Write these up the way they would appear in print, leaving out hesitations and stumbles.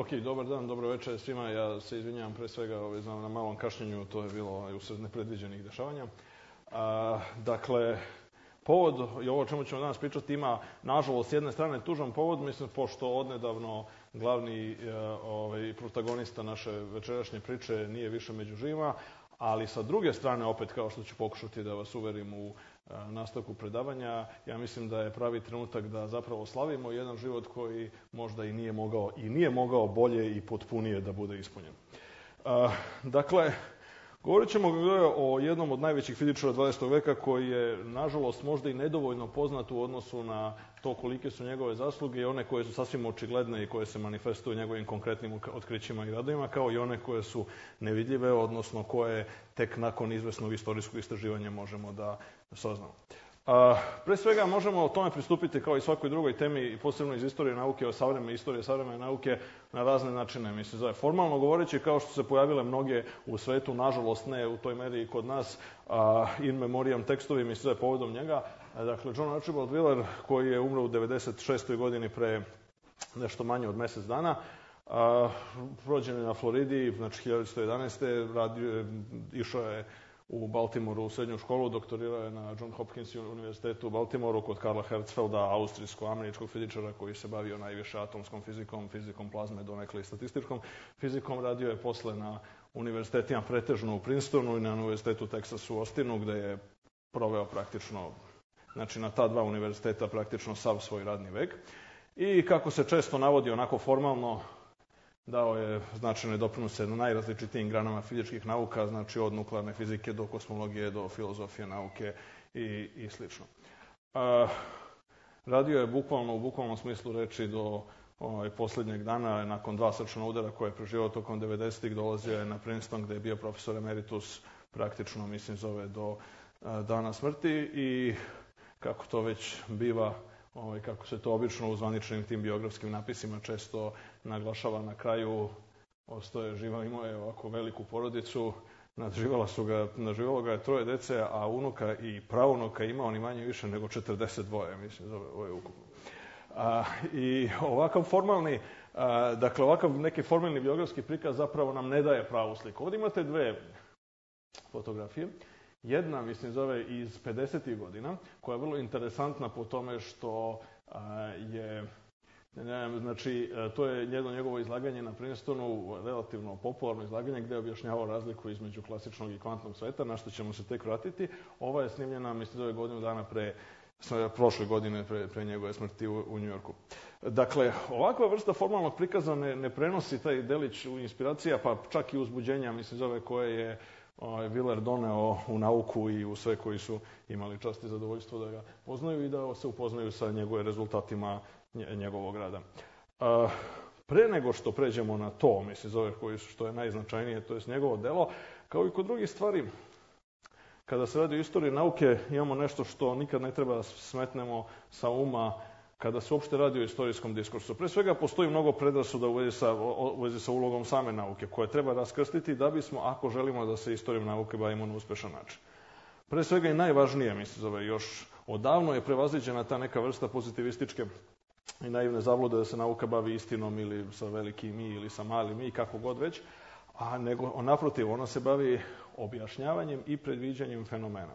Ok, dobar dan, dobro večer svima. Ja se izvinjavam pre svega na malom kašnjenju, to je bilo usred nepredviđenih dešavanja. Dakle, povod i ovo o čemu ćemo danas pričati ima, nažalost, s jedne strane tužan povod, mislim, pošto odnedavno glavni protagonista naše večerašnje priče nije više među živima, ali sa druge strane, opet kao što ću pokušati da vas uverim u nastavku predavanja, ja mislim da je pravi trenutak da zapravo slavimo jedan život koji možda i nije mogao bolje i potpunije da bude ispunjen. Dakle, govorit ćemo o jednom od najvećih fizičara 20. veka koji je, nažalost, možda i nedovoljno poznat u odnosu na to kolike su njegove zasluge i one koje su sasvim očigledne i koje se manifestuju njegovim konkretnim otkrićima i radovima, kao i one koje su nevidljive, odnosno koje tek nakon izvesnog istorijskog istraživanja možemo da saznamo. Pre svega možemo o tome pristupiti kao i svakoj drugoj temi, posebno iz istorije nauke, istorije savremene nauke, na razne načine. Mislim, formalno govoreći, kao što se pojavile mnoge u svetu, nažalost ne u toj meri i kod nas, in memoriam tekstovi, mislim, povodom njega. Dakle, John Archibald Wheeler, koji je umro u 96. godini pre nešto manje od mesec dana, rođen je na Floridi, znači 1911. Išao je u Baltimoru u srednju školu, doktorirao je na John Hopkins univerzitetu u Baltimoru kod Karla Hertzfelda, austrijsko-američkog fizičara koji se bavio najviše atomskom fizikom, fizikom plazme, donekle i statističkom fizikom. Radio je posle na univerzitetima pretežno u Princetonu i na univerzitetu Texas u Austinu, gde je proveo praktično, znači na ta dva univerziteta praktično sav svoj radni vek. I kako se često navodi onako formalno, dao je značajne doprinose na najrazličitijim granama fizičkih nauka, znači od nuklearne fizike do kosmologije, do filozofije nauke i slično. Radio je bukvalno, u bukvalnom smislu reči do poslednjeg dana, nakon 2 srčana udara koje je preživao tokom 90-ih, dolazio je na Princeton gde je bio profesor emeritus praktično, mislim, zove do dana smrti i kako to već biva, kako se to obično u zvaničnim tim biografskim napisima često naglašava na kraju, ostao je živa, imao je ovako veliku porodicu, nadživalo ga je 3 dece, a unuka i praunuka imao ni manje više nego 42, mislim, ovo je ukupno. I ovakav formalni, dakle, ovakav neki formalni biografski prikaz zapravo nam ne daje pravu sliku. Ovdje imate 2 fotografije. Jedna, mislim, zove iz 50. godina, koja je vrlo interesantna po tome što je, znači, to je jedno njegovo izlaganje na Princetonu, relativno popularno izlaganje gde je objašnjavao razliku između klasičnog i kvantnog sveta, na što ćemo se tek vratiti. Ova je snimljena, mislim, zove godinu dana prošle godine pre njegove smrti u Njujorku. Dakle, ovakva vrsta formalnog prikaza ne prenosi taj delić inspiracija, pa čak i uzbuđenja, mislim, zove koje je Wheeler doneo u nauku i u sve koji su imali čast i zadovoljstvo da ga poznaju i da se upoznaju sa njegove rezultatima njegovog rada. Pre nego što pređemo na to, mislim, zove što je najznačajnije, to je njegovo delo, kao i kod drugih stvari, kada se radi o istoriji nauke, imamo nešto što nikad ne treba da smetnemo sa uma kada se uopšte radi o istorijskom diskursu. Pre svega postoji mnogo predrasuda u vezi sa ulogom same nauke, koje treba raskrstiti da bismo, ako želimo da se istorijom nauke bavimo na uspešan način. Pre svega i najvažnije, mislim, zove, još odavno je prevaziđena ta neka vrsta pozitivističke i naivne zablude da se nauka bavi istinom ili sa velikim i ili sa malim i kako god već, a nego, naprotiv, ona se bavi objašnjavanjem i predviđanjem fenomena.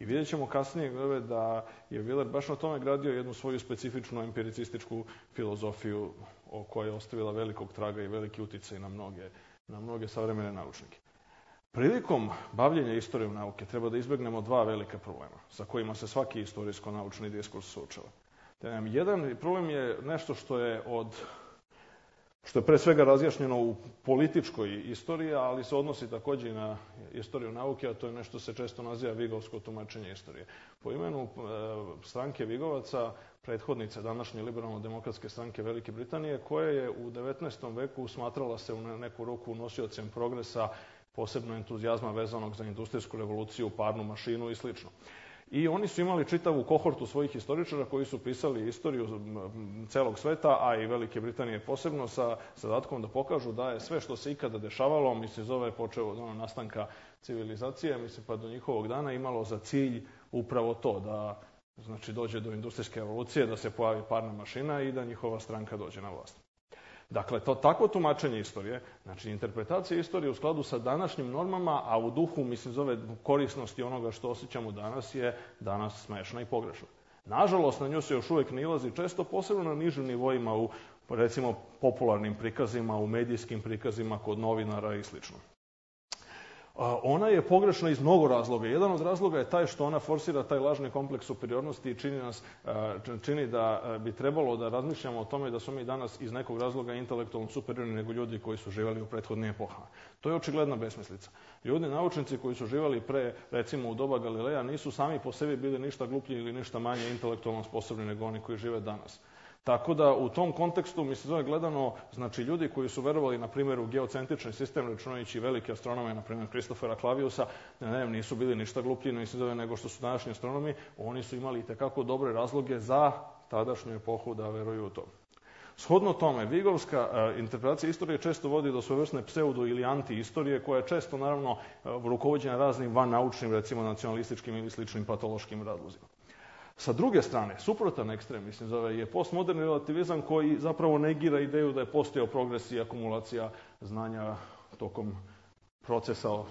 I vidjet ćemo kasnije da je Wheeler baš na tome gradio jednu svoju specifičnu empiricističku filozofiju o kojoj je ostavila velikog traga i veliki uticaj na mnoge savremene naučnike. Prilikom bavljenja istorijom nauke treba da izbegnemo 2 velika problema sa kojima se svaki istorijsko-naučni diskurs suočava. Jedan problem je nešto što je pre svega razjašnjeno u političkoj istoriji, ali se odnosi takođe i na istoriju nauke, a to je nešto se često naziva vigovsko tumačenje istorije. Po imenu stranke Vigovaca, prethodnice današnje liberalno-demokratske stranke Velike Britanije, koja je u 19. veku smatrala se u neku ruku nosiocem progresa, posebno entuzijazma vezanog za industrijsku revoluciju, parnu mašinu i sl. I oni su imali čitavu kohortu svojih istoričara koji su pisali istoriju celog sveta, a i Velike Britanije posebno, sa zadatkom da pokažu da je sve što se ikada dešavalo, mislim, zove počeo od nastanka civilizacije, mislim, pa do njihovog dana imalo za cilj upravo to, da, znači, dođe do industrijske revolucije, da se pojavi parna mašina i da njihova stranka dođe na vlast. Dakle, takvo tumačenje istorije, znači interpretacija istorije u skladu sa današnjim normama, a u duhu, mislim, zove korisnosti onoga što osjećamo danas, je danas smešna i pogrešna. Nažalost, na nju se još uvijek nailazi često, posebno na nižim nivoima, u, recimo, popularnim prikazima, u medijskim prikazima, kod novinara i sl. Ona je pogrešna iz mnogo razloga. Jedan od razloga je taj što ona forsira taj lažni kompleks superiornosti i čini da bi trebalo da razmišljamo o tome da smo mi danas iz nekog razloga intelektualno superiorni nego ljudi koji su živjeli u prethodnim epohama. To je očigledna besmislica. Ljudi, naučnici koji su živjeli pre, recimo u doba Galileja, nisu sami po sebi bili ništa gluplji ili ništa manje intelektualno sposobni nego oni koji žive danas. Tako da u tom kontekstu, mislim, zove gledano, znači ljudi koji su verovali, na primjer, u geocentrični sistem, računajući velike astronome, na primjer Kristofera Claviusa, nisu bili ništa gluplji, nego što su današnji astronomi, oni su imali itekako dobre razloge za tadašnju epohu da veruju u to. Shodno tome, Vigovska interpretacija istorije često vodi do svojevrsne pseudo ili anti-istorije, koja je često, naravno, rukovođena raznim vannaučnim, recimo nacionalističkim ili sličnim patološkim razlozima. Sa druge strane, suprotan ekstrem, mislim, zove, je postmoderni relativizam koji zapravo negira ideju da je postojao progres i akumulacija znanja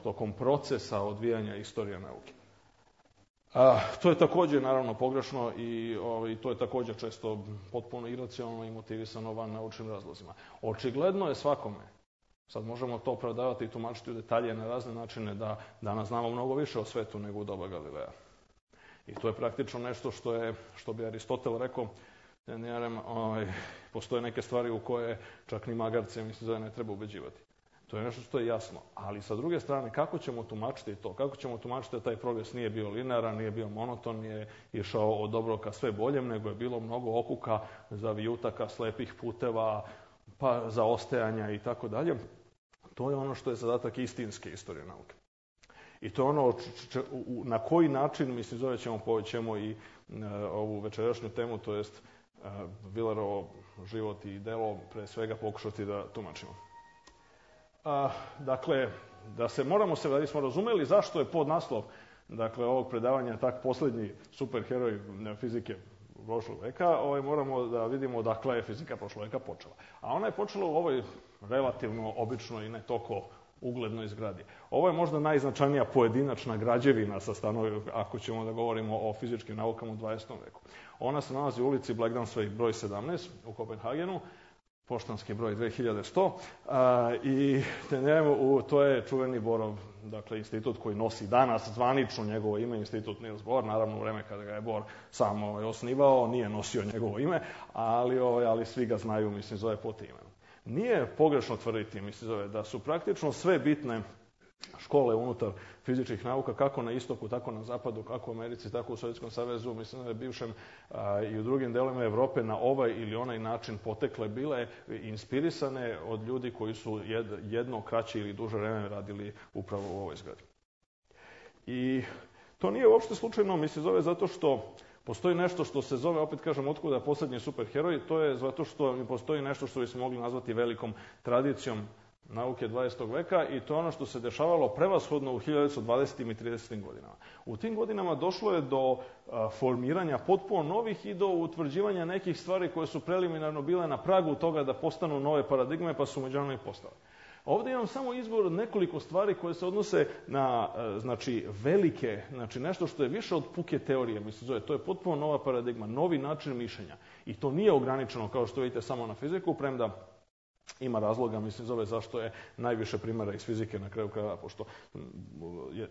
tokom procesa odvijanja istorije nauke. To je također, naravno, pogrešno i to je također često potpuno iracionalno i motivisano vannaučnim razlozima. Očigledno je svakome, sad možemo to opravdavati i tumačiti u detalje na razne načine, da danas znamo mnogo više o svetu nego u doba Galileja. I to je praktično nešto što bi Aristotel rekao, postoje neke stvari u koje čak ni magarce, mislim, ne treba ubeđivati. To je nešto što je jasno. Ali sa druge strane, kako ćemo tumačiti to? Kako ćemo tumačiti da taj progres nije bio linearan, nije bio monoton, nije išao od dobrog ka sve boljem, nego je bilo mnogo okuka, zavijutaka, slepih puteva, pa zaostajanja i tako dalje. To je ono što je zadatak istinske istorije nauke. I to je ono na koji način, mislim, zove ćemo i ovu večerašnju temu, to jest Willerovo život i delo, pre svega pokušati da tumačimo. Dakle, da smo razumeli zašto je podnaslov, dakle, ovog predavanja tak posljednji superheroj fizike prošlog veka, moramo da vidimo odakle je fizika prošlog veka počela. A ona je počela u ovoj relativno običnoj i ne toliko uglednoj zgradi. Ovo je možda najznačajnija pojedinačna građevina sa stanovi, ako ćemo da govorimo o fizičkim naukama u 20. veku. Ona se nalazi u ulici Blekdansvej broj 17 u Kopenhagenu, poštanski broj 2100, i to je čuveni Borov, dakle, institut koji nosi danas zvanično njegovo ime, institut Niels Bohr, naravno u vreme kada ga je Bohr sam osnivao, nije nosio njegovo ime, ali svi ga znaju, mislim, zove po tim imenom. Nije pogrešno tvrditi, mislim, da su praktično sve bitne škole unutar fizičkih nauka, kako na istoku, tako na zapadu, kako u Americi, tako u Sovjetskom savezu, mislim da je bivšem i u drugim delovima Evrope na ovaj ili onaj način potekle, bile inspirisane od ljudi koji su jedno kraće ili duže vreme radili upravo u ovoj zgradi. I to nije uopšte slučajno, mislim, zato što postoji nešto što se zove, opet kažem, otkuda posljednji superheroj, to je zato što postoji nešto što bismo mogli nazvati velikom tradicijom nauke 20. veka i to je ono što se dešavalo prevashodno u 1920. i 30. godinama. U tim godinama došlo je do formiranja potpuno novih i do utvrđivanja nekih stvari koje su preliminarno bile na pragu toga da postanu nove paradigme, pa su međunarodno i postale. Ovdje imam samo izgovor od nekoliko stvari koje se odnose na, znači, velike, znači nešto što je više od puke teorije, mislim, to je potpuno nova paradigma, novi način mišljenja. I to nije ograničeno, kao što vidite, samo na fiziku, premda ima razloga, mislim, zašto je najviše primjera iz fizike na kraju krajeva, pošto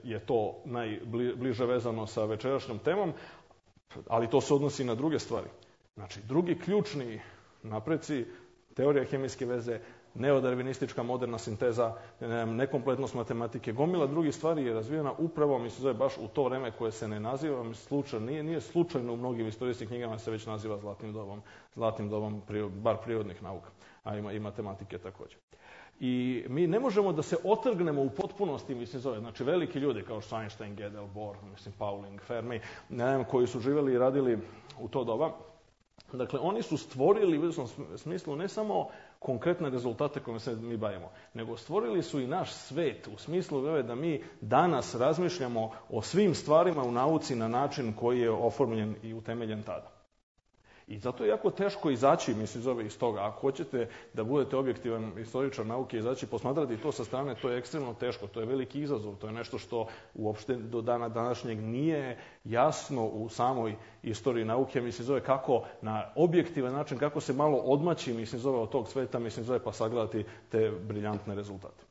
je to najbliže vezano sa večerašnjom temom, ali to se odnosi na druge stvari. Znači, drugi ključni napreci, teorija hemijske veze, neodarvinistička moderna sinteza, nekompletnost matematike, gomila drugih stvari je razvijena upravo, mislim, baš u to vreme koje se ne naziva slučajno, nije slučajno u mnogim istorijskim knjigama se već naziva zlatnim dobom, bar prirodnih nauka, a ima i matematike također. I mi ne možemo da se otrgnemo u potpunosti, mislim, znači veliki ljudi kao što Einstein, Gödel, Bohr, mislim, Pauling, Fermi, koji su živjeli i radili u to doba. Dakle, oni su stvorili u izvjesnom smislu ne samo konkretne rezultate kojima se mi bavimo, nego stvorili su i naš svet u smislu da mi danas razmišljamo o svim stvarima u nauci na način koji je oformljen i utemeljen tada. I zato je jako teško izaći, mislim, iz toga. Ako hoćete da budete objektivan istoričar nauke, izaći posmatrati to sa strane, to je ekstremno teško, to je veliki izazov, to je nešto što uopšte do dana današnjeg nije jasno u samoj istoriji nauke, mislim, kako na objektivan način, kako se malo odmaći, mislim, od tog sveta, mislim, pa sagledati te briljantne rezultate.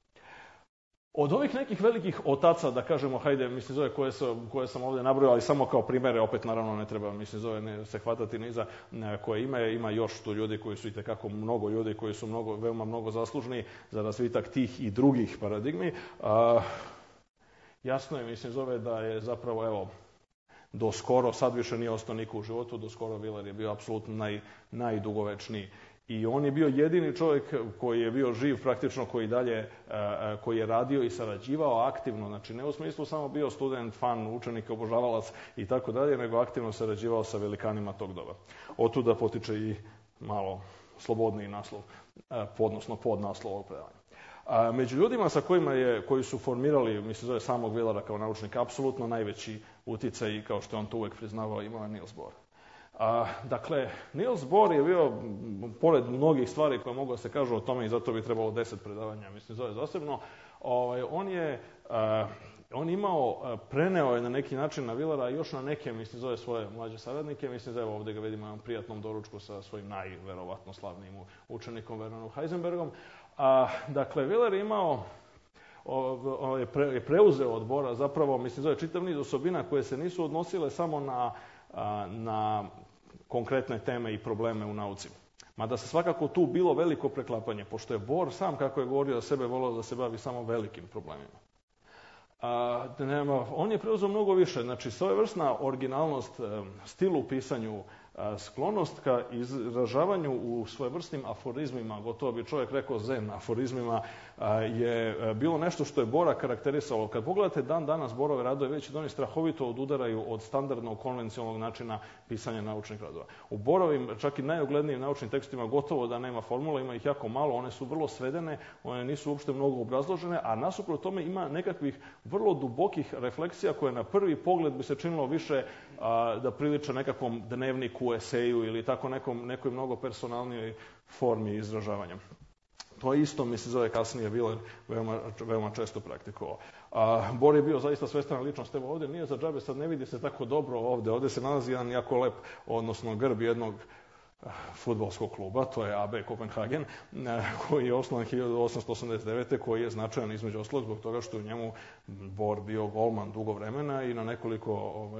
Od ovih nekih velikih otaca, da kažemo, hajde, mislim, koje sam ovdje nabrojao, ali samo kao primere, opet naravno ne treba, mislim, se hvatati niza koje ima još tu ljudi koji su itekako mnogo ljudi, koji su veoma mnogo zaslužni za razvitak tih i drugih paradigmi. Jasno je, mislim, da je zapravo, evo, do skoro, sad više nije ostao niko u životu, do skoro Wheeler je bio apsolutno najdugovečniji. I on je bio jedini čovjek koji je bio živ praktično, koji je radio i sarađivao aktivno, znači ne u smislu samo bio student, fan, učenik, obožavalac i tako dalje, nego aktivno sarađivao sa velikanima tog doba. Otuda potiče i malo slobodniji naslov, odnosno podnaslov ovog predavanja. Među ljudima sa koji su formirali, mislim, samog Wheelera kao naučnika, apsolutno najveći uticaj, kao što je on to uvek priznavao, imao je Niels Bohr. Dakle, Niels Bohr je bio, pored mnogih stvari koje mogu da se kažu o tome, i zato bi trebalo 10 predavanja, mislim, zasebno, preneo je na neki način na Wheelera još na neke, mislim, svoje mlađe saradnike, mislim, evo ovdje ga vidimo na prijatnom doručku sa svojim najverovatno slavnim učenikom Wernerom Heisenbergom. Dakle, Wheeler je imao, je preuzeo od Bohra zapravo, mislim, čitav niz osobina koje se nisu odnosile samo na konkretne teme i probleme u nauci. Mada se svakako tu bilo veliko preklapanje, pošto je Bohr sam, kako je govorio za sebe, volio da se bavi samo velikim problemima. On je preuzeo mnogo više, znači svojevrsna originalnost, stil u pisanju, sklonost ka izražavanju u svojevrsnim aforizmima, gotovo bi čovjek rekao zen aforizmima, je bilo nešto što je Bohra karakterisalo. Kad pogledate dan danas Bohrove radove, već oni strahovito odudaraju od standardnog konvencionalnog načina pisanja naučnih radova. U Bohrovim, čak i najuglednijim naučnim tekstima, gotovo da nema formula, ima ih jako malo, one su vrlo svedene, one nisu uopšte mnogo obrazložene, a nasuprot tome ima nekakvih vrlo dubokih refleksija koje na prvi pogled bi se činilo više da priliče nekakvom dnevniku, eseju ili tako nekoj mnogo personalnijoj formi izražavanja. To je isto, mislim, kasnije Wheeler veoma često praktikovao. Bohr je bio zaista svestrana ličnost. Evo ovdje nije za džabe, sad ne vidi se tako dobro ovdje. Ovdje se nalazi jedan jako lep, odnosno grb jednog fudbalskog kluba, to je AB Kopenhagen, koji je osnovan 1889. koji je značajan između ostalog zbog toga što je u njemu Bohr bio golman dugo vremena i na nekoliko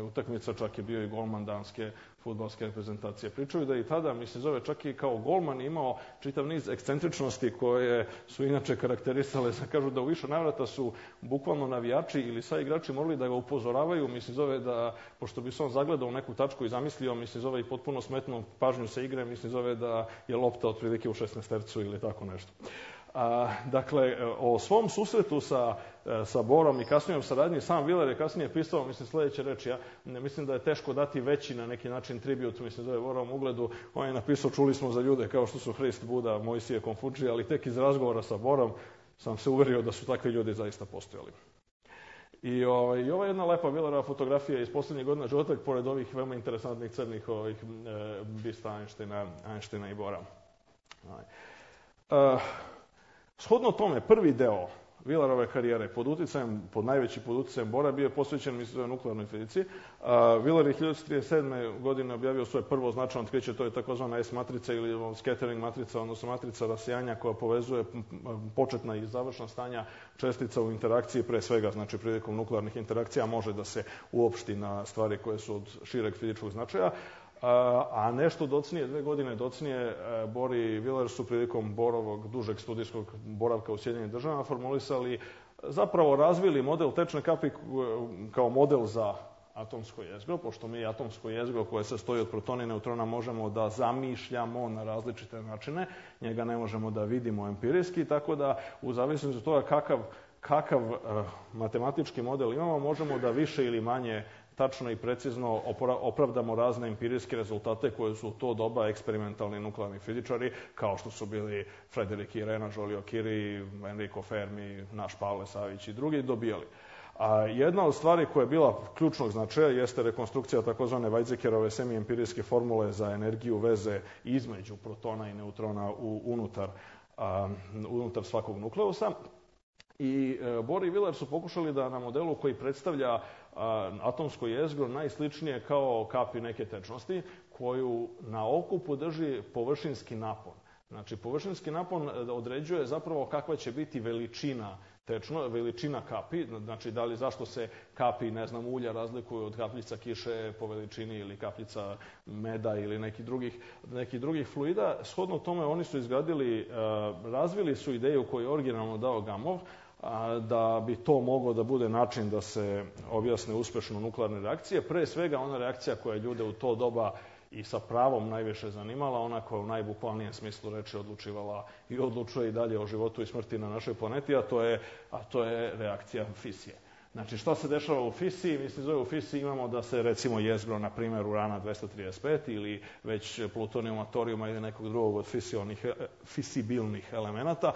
utakmica čak je bio i golman danske fudbalske reprezentacije. Pričaju da i tada, mislim, čak i kao golman imao čitav niz ekscentričnosti koje su inače karakterisale, kažu da u više navrata su bukvalno navijači ili sva igrači morali da ga upozoravaju, mislim, da, pošto bi se on zagledao u neku tačku i zamislio, mislim, i potpuno smetnu pažnju sa igre, mislim, da je lopta otprilike u 16 ili tako nešto. Dakle, o svom susretu sa Bohrom i kasnijom saradnji, sam Wheeler je kasnije pisao, mislim, sljedeće reči. Ja mislim da je teško dati veći na neki način tribut, mislim, zove Bohrovom ugledu. On je napisao, čuli smo za ljude kao što su Hrist, Buda, Mojsije, Konfučije, ali tek iz razgovora sa Bohrom sam se uverio da su takvi ljudi zaista postojali. I ova jedna lepa Wheelerova fotografija iz posljednjih godina života, pored ovih veoma interesantnih crnih bista Einsteina i Bohra. Shodno tome, prvi deo Wheelerove karijere pod najveći pod uticajem Bohra bio je posvećen, mislim, nuklearnoj fizici. Wheeler je 1937. godine objavio svoje prvo značajno otkriće, to je takozvana S-matrica ili scattering matrica, odnosno matrica rasijanja koja povezuje početna i završna stanja čestica u interakciji, pre svega, znači prilikom nuklearnih interakcija može da se uopšti na stvari koje su od šireg fizičkog značaja. A nešto docnije, 2 godine docnije, Bohr i Wheeler su prilikom Bohrovog dužeg studijskog boravka u Sjedinjenim Državama formulisali, zapravo razvili model tečne kapi kao model za atomsko jezgro, pošto mi atomsko jezgro koje se sastoji od protona i neutrona možemo da zamišljamo na različite načine, njega ne možemo da vidimo empirijski, tako da u zavisnosti od toga kakav matematički model imamo, možemo da više ili manje tačno i precizno opravdamo razne empirijske rezultate koje su u to doba eksperimentalni nuklearni fizičari, kao što su bili Frédéric Curie, Joliot-Curie, Enrico Fermi, naš Pavle Savić i drugi dobijali. A jedna od stvari koja je bila ključnog značaja jeste rekonstrukcija takozvane Weizsäckerove semiempirijske formule za energiju veze između protona i neutrona unutar svakog nukleusa. I Bohr i Wheeler su pokušali da na modelu koji predstavlja atomsko jezgro najsličnije kao kapi neke tečnosti, koju na okupu drži površinski napon. Znači, površinski napon određuje zapravo kakva će biti veličina kapi, znači da li zašto se kapi, ulja razlikuju od kapljica kiše po veličini ili kapljica meda ili nekih drugih fluida. Shodno tome oni su razvili su ideju koju je originalno dao Gamow, da bi to moglo da bude način da se objasne uspešno nuklearne reakcije. Pre svega ona reakcija koja je ljude u to doba i sa pravom najviše zanimala, ona koja u najbukvalnijem smislu reči odlučivala i odlučuje i dalje o životu i smrti na našoj planeti, a to je reakcija fisije. Znači, šta se dešava u fisiji? U fisiji imamo da se, recimo, jezgro, na primjer, urana 235 ili već plutonijuma, torijuma ili nekog drugog od fisibilnih elemenata,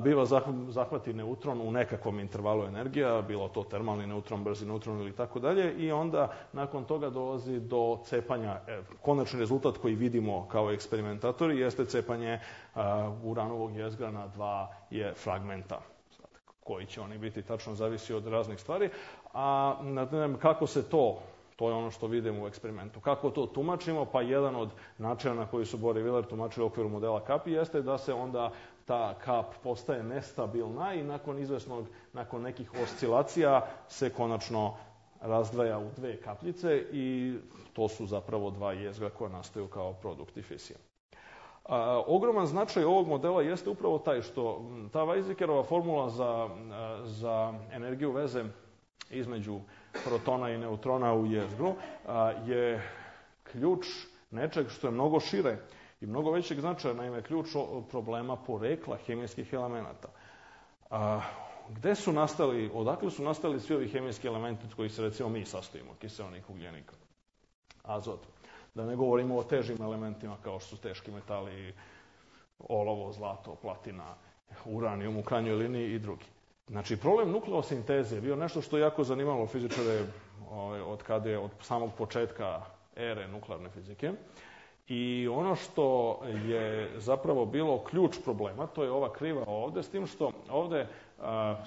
biva zahvati neutron u nekakvom intervalu energija, bilo to termalni neutron, brzi neutron ili tako dalje, i onda nakon toga dolazi do cepanja. Konačni rezultat koji vidimo kao eksperimentatori jeste cepanje uranovog jezgra na 2 fragmenta. Koji će oni biti, tačno zavisi od raznih stvari, a kako se to je ono što vidimo u eksperimentu. Kako to tumačimo? Pa jedan od načina na koji su Bohr i Wheeler tumačili u okviru modela kapi jeste da se onda ta kap postaje nestabilna i nakon nekih oscilacija se konačno razdvaja u 2 kapljice i to su zapravo 2 jezgra koja nastaju kao produkti fisije. Ogroman značaj ovog modela jeste upravo taj što ta Weizsäckerova formula za energiju veze između protona i neutrona u jezgru je ključ nečeg što je mnogo šire i mnogo većeg značaja, naime ključ problema porekla hemijskih elemenata. Odakle su nastali svi ovi hemijski elementi od kojih se recimo mi sastojimo, kiseonik, ugljenik, azot? Da ne govorimo o težim elementima kao što su teški metali, olovo, zlato, platina, uranijum u krajnjoj liniji i drugi. Znači, problem nukleosinteze je bio nešto što je jako zanimalo fizičare od samog početka ere nuklearne fizike. I ono što je zapravo bilo ključ problema, to je ova kriva ovde, s tim što ovde,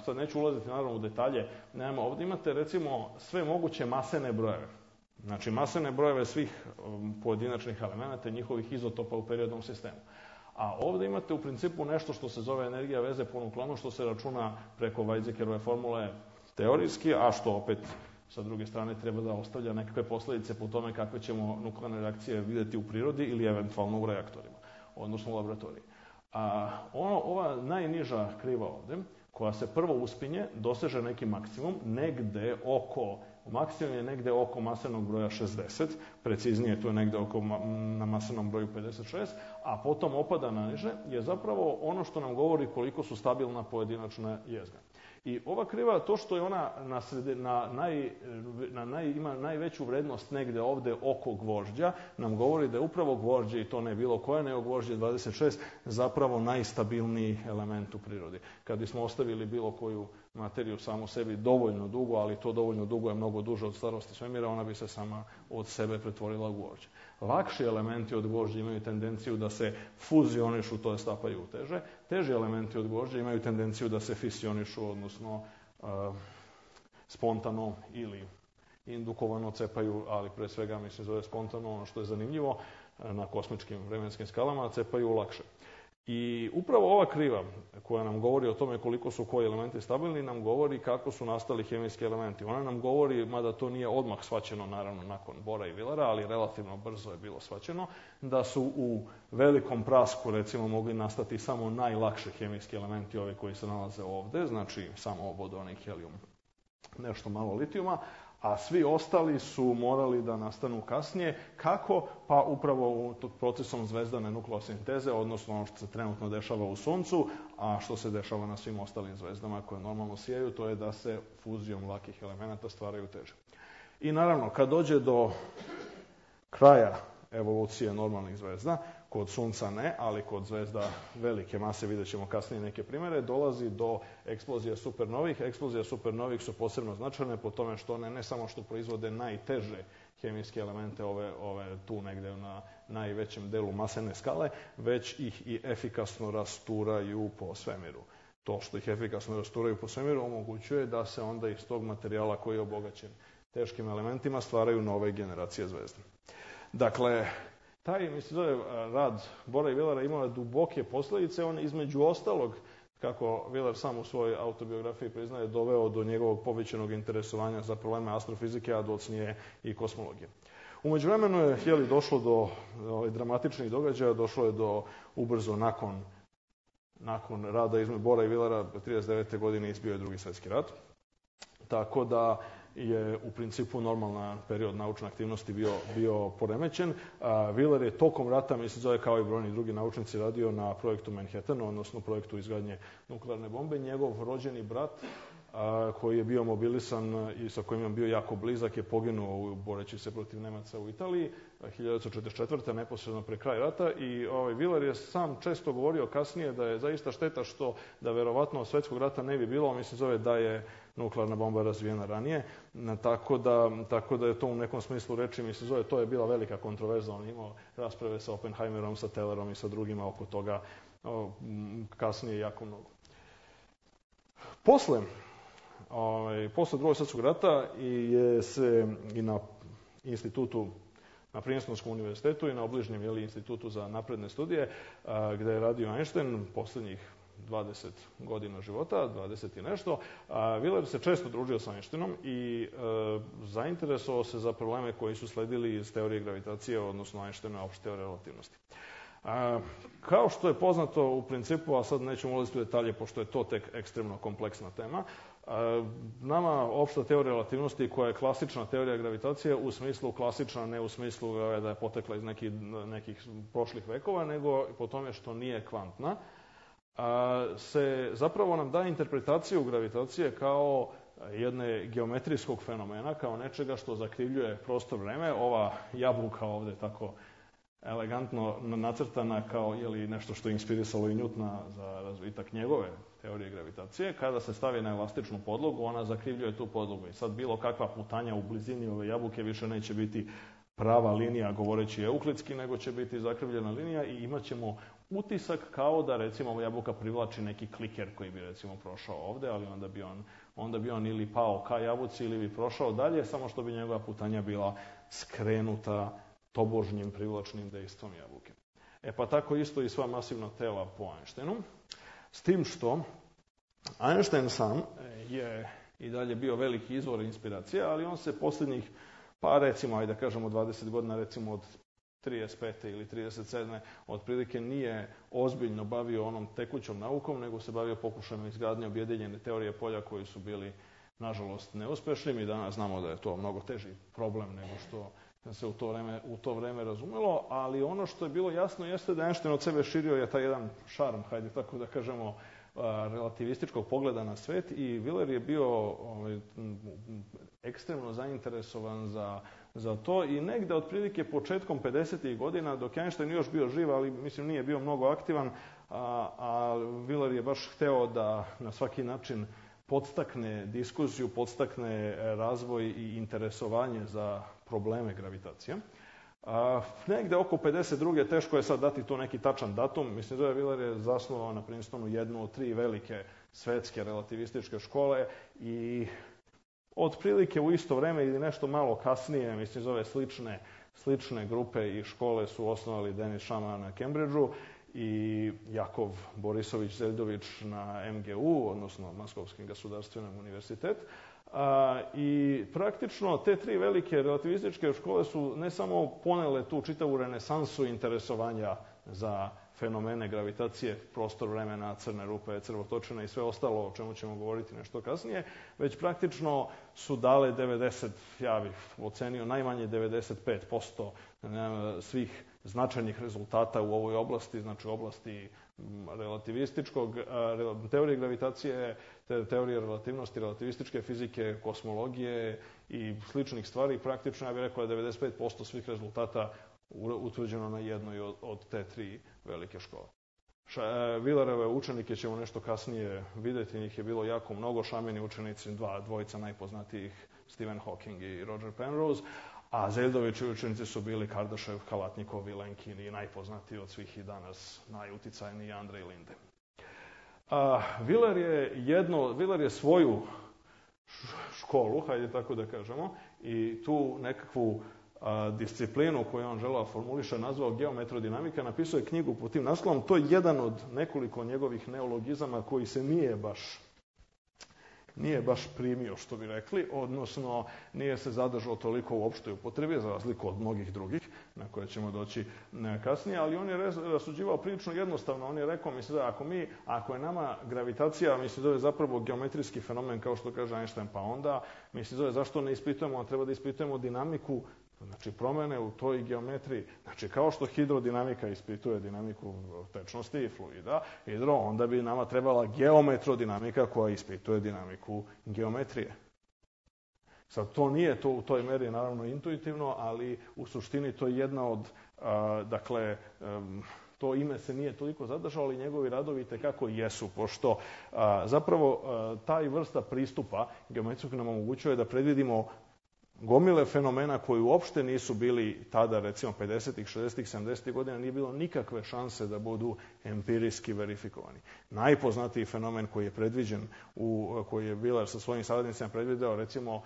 sad neću ulaziti naravno u detalje, ovde imate recimo sve moguće masene brojeve. Znači, masene brojeve svih pojedinačnih elemenata i njihovih izotopa u periodnom sistemu. A ovde imate u principu nešto što se zove energija veze po nuklonu, što se računa preko Weizsäckerove formule teorijski, a što opet sa druge strane treba da ostavlja nekakve posledice po tome kakve ćemo nuklearne reakcije videti u prirodi ili eventualno u reaktorima, odnosno u laboratoriji. Ova najniža kriva ovde, koja se prvo uspinje, doseže neki maksimum, maksimum je negde oko masenog broja 60, preciznije to je negde na masenom broju 56, a potom opada na niže, je zapravo ono što nam govori koliko su stabilna pojedinačna jezgra. I ova kriva, to što je ona ima najveću vrednost negde ovde oko gvožđa, nam govori da je upravo gvožđe, i to ne bilo koje, nego gvožđe 26, zapravo najstabilniji element u prirodi. Kad bismo ostavili bilo koju materiju samo sebi dovoljno dugo, ali to dovoljno dugo je mnogo duže od starosti svemira, ona bi se sama od sebe pretvorila u gvožđe. Lakši elementi od gvožđa imaju tendenciju da se fuzionišu, to je stapaju u teže. Teži elementi od gvožđa imaju tendenciju da se fisionišu, odnosno spontano ili indukovano cepaju, ali pre svega zove spontano, ono što je zanimljivo na kosmičkim vremenskim skalama, cepaju lakše. I upravo ova kriva koja nam govori o tome koliko su koji elementi stabilni, nam govori kako su nastali hemijski elementi. Ona nam govori, mada to nije odmah shvaćeno, naravno, nakon Bohra i Wheelera, ali relativno brzo je bilo shvaćeno, da su u velikom prasku, recimo, mogli nastati samo najlakši hemijski elementi, ovi koji se nalaze ovde, znači samo vodonik, helijum, nešto malo litijuma, a svi ostali su morali da nastanu kasnije. Kako? Pa upravo procesom zvezdane nukleosinteze, odnosno ono što se trenutno dešava u Suncu, a što se dešava na svim ostalim zvezdama koje normalno sijaju, to je da se fuzijom lakih elemenata stvaraju teže. I naravno, kad dođe do kraja evolucije normalnih zvezda, kod Sunca ne, ali kod zvezda velike mase, vidjet ćemo kasnije neke primere, dolazi do eksplozija supernovih. Eksplozija supernovih su posebno značajne po tome što one ne samo što proizvode najteže hemijske elemente, ove tu negde na najvećem delu masene skale, već ih i efikasno rasturaju po svemiru. To što ih efikasno rasturaju po svemiru omogućuje da se onda iz tog materijala koji je obogaćen teškim elementima stvaraju nove generacije zvezda. Dakle, taj, mislim, rad Bora i Willara imao je duboke posljedice. On između ostalog, kako Wheeler sam u svojoj autobiografiji priznaje, doveo do njegovog povećanog interesovanja za probleme astrofizike, a docnije i kosmologije. U međuvremenu je došlo do dramatičnih događaja, došlo je do ubrzo nakon rada između Bora i Willara, 1939. godine izbio je Drugi svjetski rat. Tako da je u principu normalna period naučne aktivnosti bio poremećen. Wheeler je tokom rata, mislim, kao i brojni drugi naučnici, radio na projektu Manhattan, odnosno projektu izgradnje nuklearne bombe. Njegov rođeni brat, koji je bio mobilisan i sa kojim je bio jako blizak, je poginuo boreći se protiv Nemaca u Italiji 1944. neposredno pre kraja rata. I Wheeler je sam često govorio kasnije da je zaista šteta što da verovatno svetskog rata ne bi bilo, mislim, da je nuklearna bomba razvijena ranije, tako da je to u nekom smislu reči, mislim, to je bila velika kontroverza. On imao rasprave sa Oppenheimerom, sa Tellerom i sa drugima oko toga kasnije jako mnogo. Posle Drugog svjetskog rata je se i na institutu, na Princetonskom univerzitetu i na obližnjem institutu za napredne studije, gde je radio Einstein poslednjih 20 godina života, 20 i nešto. Wheeler se često družio sa Einsteinom i zainteresovao se za probleme koji su sledili iz teorije gravitacije, odnosno Einsteinove opšte teorije relativnosti. Kao što je poznato u principu, a sad nećemo ulaziti u detalje pošto je to tek ekstremno kompleksna tema, nama opšta teorija relativnosti, koja je klasična teorija gravitacije, u smislu klasična, ne u smislu da je potekla iz nekih prošlih vekova, nego po tome što nije kvantna, se zapravo nam daje interpretaciju gravitacije kao jedne geometrijskog fenomena, kao nečega što zakrivljuje prostor vreme. Ova jabuka ovde tako elegantno nacrtana kao nešto što je inspirisalo i Newtona za razvitak njegove teorije gravitacije, kada se stavi na elastičnu podlogu, ona zakrivljuje tu podlogu. I sad bilo kakva putanja u blizini ove jabuke više neće biti prava linija, govoreći euklidski, nego će biti zakrivljena linija i imat ćemo utisak kao da, recimo, jabuka privlači neki kliker koji bi, recimo, prošao ovde, ali onda bi on ili pao ka jabuci ili bi prošao dalje, samo što bi njegova putanja bila skrenuta tobožnjim privlačnim dejstvom jabuke. Pa tako isto i sva masivna tela po Einsteinu. S tim što Einstein sam je i dalje bio veliki izvor inspiracije, ali on se posljednjih, recimo, ajde da kažemo 20 godina, recimo od 35. ili 37. otprilike nije ozbiljno bavio onom tekućom naukom, nego se bavio pokušajem izgradnje objedinjene teorije polja koji su bili, nažalost, neuspešni. Mi danas znamo da je to mnogo teži problem nego što se u to vreme razumelo, ali ono što je bilo jasno jeste da Einstein od sebe širio je taj jedan šarm, hajde tako da kažemo, relativističkog pogleda na svet, i Wheeler je bio ekstremno zainteresovan za to i negde otprilike početkom 50. godina, dok je Einstein još bio živ, ali mislim nije bio mnogo aktivan, a Wheeler je baš hteo da na svaki način podstakne diskusiju, podstakne razvoj i interesovanje za probleme gravitacije. Negde oko 52. teško je sad dati tu neki tačan datum. Mislim da Wheeler je zasnovao na Princetonu jednu od 3 velike svetske relativističke škole i otprilike u isto vreme ili nešto malo kasnije, mislim, zove slične grupe i škole su osnovali Denis Šama na Cambridgeu i Jakov Borisović Zeldović na MGU, odnosno Moskovski gasudarstvenom univerzitet. I praktično te 3 velike relativističke škole su ne samo ponele tu čitavu renesansu interesovanja za fenomene gravitacije, prostor vremena, crne rupe, crvotočine i sve ostalo o čemu ćemo govoriti nešto kasnije, već praktično su dale 90, ja bih ocenio najmanje 95% svih značajnih rezultata u ovoj oblasti, znači oblasti relativističkog, teorije gravitacije, teorije relativnosti, relativističke fizike, kosmologije i sličnih stvari. Praktično, ja bih rekao, 95% svih rezultata utvrđeno na jednoj od te 3 velike škole. Wheelerove učenike ćemo nešto kasnije vidjeti, njih je bilo jako mnogo, Šamini učenici, dvojica najpoznatijih, Stephen Hawking i Roger Penrose, a Zeljdovići učenici su bili Kardashev, Kalatnikov i Lenkin i najpoznatiji od svih i danas najuticajniji Andrej Linde. Wheeler je svoju školu, hajde tako da kažemo, i tu nekakvu disciplinu koju on želeo formuliše nazvao geometrodinamika, napisao je knjigu pod tim naslovom. To je jedan od nekoliko njegovih neologizama koji se nije baš primio, što bi rekli, odnosno nije se zadržao toliko u opštoj upotrebi, za razliku od mnogih drugih, na koje ćemo doći kasnije, ali on je rasuđivao prilično jednostavno. On je rekao, mislim da ako je nama gravitacija, mislim da je zapravo geometrijski fenomen, kao što kaže Einstein, pa onda, mislim da je zašto ne ispitujemo, a treba da ispitujemo dinamiku, znači promene u toj geometriji. Znači kao što hidrodinamika ispituje dinamiku tečnosti i fluida, onda bi nama trebala geometrodinamika koja ispituje dinamiku geometrije. Sad to nije to u toj meri naravno intuitivno, ali u suštini to je jedna od, to ime se nije toliko zadržalo, ali njegovi radovi itekako jesu, pošto zapravo taj vrsta pristupa geometrijskog nam omogućuje da predvidimo gomile fenomena koji uopšte nisu bili tada, recimo 50-ih, 60-ih, 70-ih godina, nije bilo nikakve šanse da budu empirijski verifikovani. Najpoznatiji fenomen koji je predviđen, koji je Wheeler sa svojim saradnicima predvideo, recimo,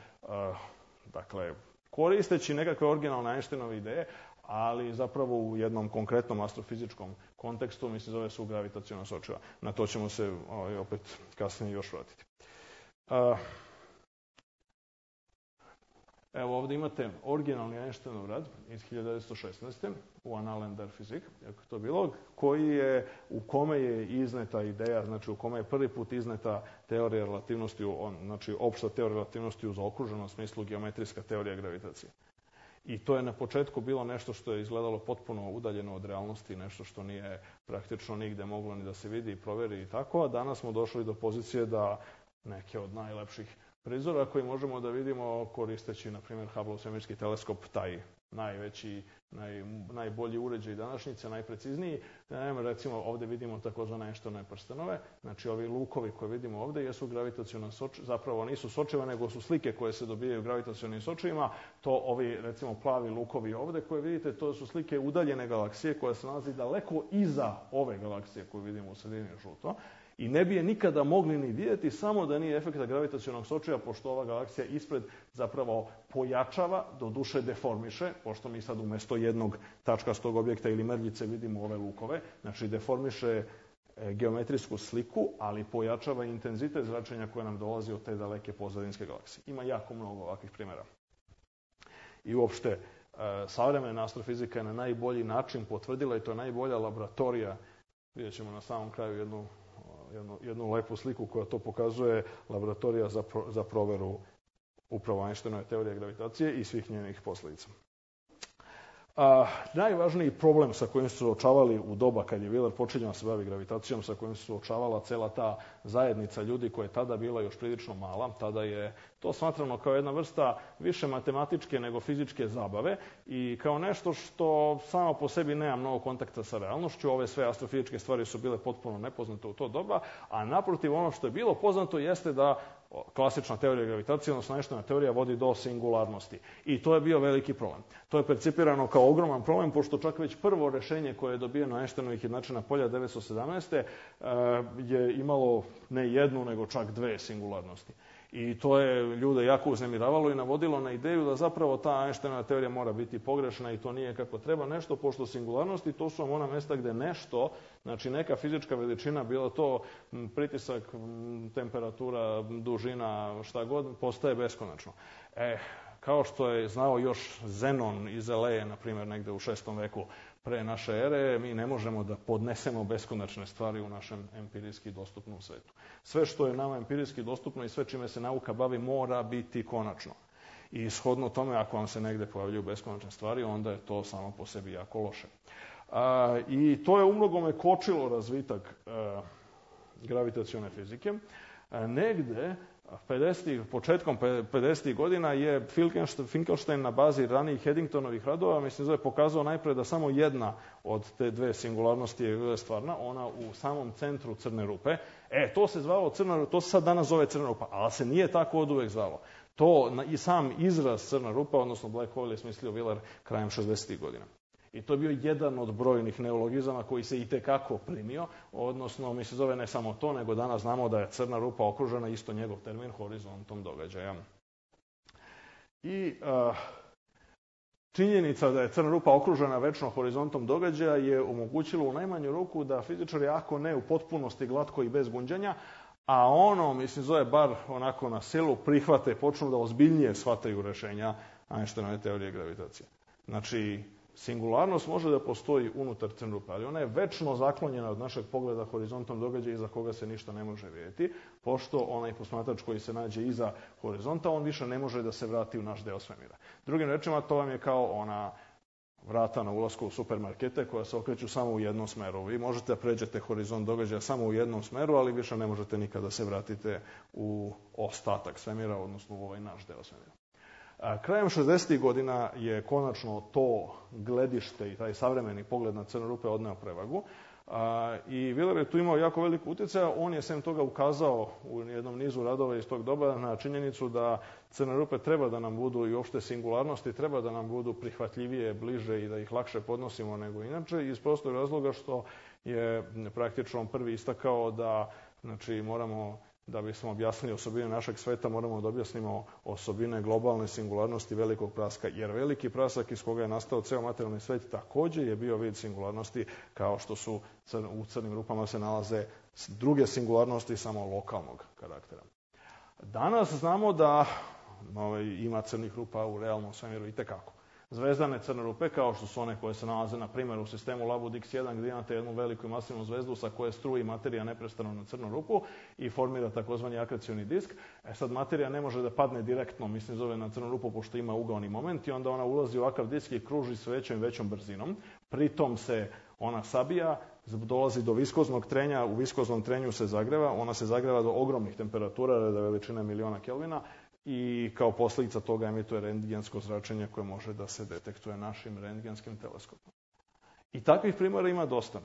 koristeći nekakve originalne Einsteinove ideje, ali zapravo u jednom konkretnom astrofizičkom kontekstu, mislim, zove se gravitaciona sočiva. Na to ćemo se opet kasnije još vratiti. Evo ovdje imate originalni Einsteinov rad iz 1916. u Annalen der Physik, kako to bilo, u kome je izneta ideja, znači u kome je prvi put izneta teorija relativnosti, znači opšta teorija relativnosti u zaokruženom smislu geometrijska teorija gravitacije. I to je na početku bilo nešto što je izgledalo potpuno udaljeno od realnosti, nešto što nije praktično nigde moglo ni da se vidi i proveri i tako, a danas smo došli do pozicije da neke od najlepših prizora koji možemo da vidimo koristeći, na primjer, Hubbleov svemirski teleskop, taj najveći, najbolji uređaj današnjice, najprecizniji. Recimo, ovdje vidimo takozvane Einsteinove prstenove. Znači, ovi lukovi koje vidimo ovdje jesu gravitaciona sočiva, zapravo nisu sočiva, nego su slike koje se dobijaju gravitacionim sočivima. To ovi, recimo, plavi lukovi ovdje koje vidite, to su slike udaljene galaksije koja se nalazi daleko iza ove galaksije koju vidimo u sredini žuto. I ne bi je nikada mogli ni vidjeti samo da nije efekta gravitacionog sočiva, pošto ova galaksija ispred zapravo pojačava, doduše deformiše, pošto mi sad umjesto jednog tačkastog objekta ili mrljice vidimo ove lukove, znači deformiše geometrijsku sliku, ali pojačava intenzitet zračenja koje nam dolazi od te daleke pozadinske galaksije. Ima jako mnogo ovakvih primjera. I uopšte, savremena astrofizika je na najbolji način potvrdila, i to je najbolja laboratorija, vidjet ćemo na samom kraju jednu lepu sliku koja to pokazuje, laboratorija za proveru upravo Einsteinove teorije gravitacije i svih njenih posljedica. Najvažniji problem sa kojim su se suočavali u doba kad je Wheeler počinjao se bavi gravitacijom, sa kojim se suočavala cela ta zajednica ljudi koja je tada bila još prilično mala, tada je to smatrano kao jedna vrsta više matematičke nego fizičke zabave i kao nešto što samo po sebi nema mnogo kontakta sa realnošću. Ove sve astrofizičke stvari su bile potpuno nepoznate u to doba, a naprotiv ono što je bilo poznato jeste da klasična teorija gravitacije, odnosno Einsteinova teorija, vodi do singularnosti. I to je bio veliki problem. To je percipirano kao ogroman problem, pošto čak već prvo rešenje koje je dobijeno Einsteinovih jednačina polja 1917. Je imalo ne jednu, nego čak 2 singularnosti. I to je ljude jako uznemiravalo i navodilo na ideju da zapravo ta Einsteinova teorija mora biti pogrešna i to nije kako treba nešto, pošto singularnosti to su ona mjesta gde nešto, znači neka fizička veličina, bilo to pritisak, temperatura, dužina, šta god, postaje beskonačno. Kao što je znao još Zenon iz Eleje, na primjer, negde u 6. veku pre naše ere, mi ne možemo da podnesemo beskonačne stvari u našem empirijski dostupnom svetu. Sve što je nama empirijski dostupno i sve čime se nauka bavi mora biti konačno. I shodno tome, ako vam se negde pojavljuju beskonačne stvari, onda je to samo po sebi jako loše. I to je umnogome kočilo razvitak gravitacione fizike. Negde početkom 50. godina je Finkelstein na bazi ranijih Eddingtonovih radova, pokazao najpre da samo jedna od te dve singularnosti je stvarna, ona u samom centru crne rupe. To se zvalo crna rupa, to se sad danas zove crna rupa, ali se nije tako oduvek zvalo. To i sam izraz crna rupa, odnosno black hole, je smislio Wheeler krajem 60. godina. I to je bio jedan od brojnih neologizama koji se itekako primio, odnosno ne samo to, nego danas znamo da je crna rupa okružena, isto njegov termin, horizontom događaja. I činjenica da je crna rupa okružena večno horizontom događaja je omogućilo u najmanju ruku da fizičari, ako ne u potpunosti glatko i bez gunđanja, a bar onako na silu prihvate, počnu da ozbiljnije shvataju rešenja Einsteinove teorije gravitacije. Znači, singularnost može da postoji unutar crne rupe, ali ona je večno zaklonjena od našeg pogleda horizontom događaja iza koga se ništa ne može vidjeti, pošto onaj posmatrač koji se nađe iza horizonta, on više ne može da se vrati u naš deo svemira. Drugim rečima, to vam je kao ona vrata na ulasku u supermarkete koja se okreću samo u jednom smeru. Vi možete da pređete horizont događaja samo u jednom smeru, ali više ne možete nikada da se vratite u ostatak svemira, odnosno u ovaj naš deo svemira. Krajem 60. godina je konačno to gledište i taj savremeni pogled na crne rupe odneo prevagu. I Wheeler je tu imao jako veliko utjecaja. On je sem toga ukazao u jednom nizu radova iz tog doba na činjenicu da crne rupe treba da nam budu i uopšte singularnosti, treba da nam budu prihvatljivije, bliže i da ih lakše podnosimo nego inače, iz prostog razloga što je praktično prvi istakao da moramo, da bismo objasnili osobine našeg sveta, moramo da objasnimo osobine globalne singularnosti velikog praska, jer veliki prasak iz koga je nastao ceo materijalni svet takođe je bio vid singularnosti, kao što su u crnim rupama se nalaze druge singularnosti samo lokalnog karaktera. Danas znamo da ima crnih rupa u realnom svemiru itekako. Zvezdane crne rupe, kao što su one koje se nalaze, na primjer, u sistemu Labud X1, gdje imate jednu veliku i masivnu zvezdu sa koje struji materija neprestano na crnu rupu i formira takozvani akrecioni disk. Sad materija ne može da padne direktno, na crnu rupu, pošto ima ugaoni moment, i onda ona ulazi u ovakav disk i kruži s većom i većom brzinom. Pritom se ona sabija, dolazi do viskoznog trenja, u viskoznom trenju se zagreva, ona se zagreva do ogromnih temperatura, reda veličine miliona Kelvina, i kao posljedica toga emituje rentgensko zračenje koje može da se detektuje našim rentgenskim teleskopom. I takvih primjera ima dosta.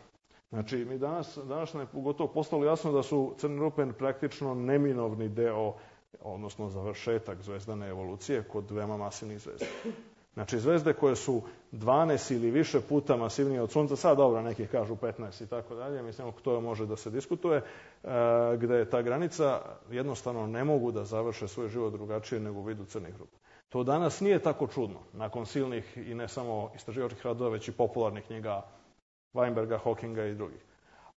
Znači, mi danas nam je gotovo postalo jasno da su crne rupe praktično neminovni deo, odnosno završetak zvezdane evolucije kod veoma masivnih zvezda. Znači, zvezde koje su 12 ili više puta masivnije od Sunca, sad dobro, neki kažu 15 i tako dalje, to može da se diskutuje, gde je ta granica, jednostavno ne mogu da završe svoj život drugačije nego u vidu crnih rupa. To danas nije tako čudno, nakon silnih i ne samo istraživačkih radova, već i popularnih knjiga Weinberga, Hawkinga i drugih.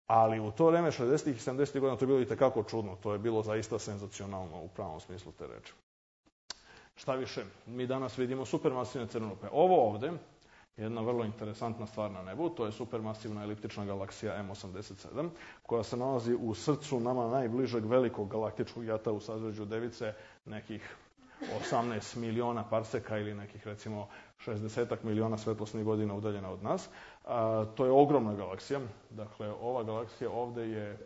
Ali u to vreme, 60. i 70. godina, to je bilo itekako čudno, to je bilo zaista senzacionalno u pravom smislu te reči. Šta više, mi danas vidimo supermasivne crne rupe. Ovo ovde je jedna vrlo interesantna stvar na nebu, to je supermasivna eliptična galaksija M87, koja se nalazi u srcu nama najbližeg velikog galaktičkog jata u sazvežđu Device, nekih 18 miliona parseka ili nekih, recimo, 60 miliona svetlosnih godina udaljena od nas. To je ogromna galaksija. Dakle, ova galaksija ovde je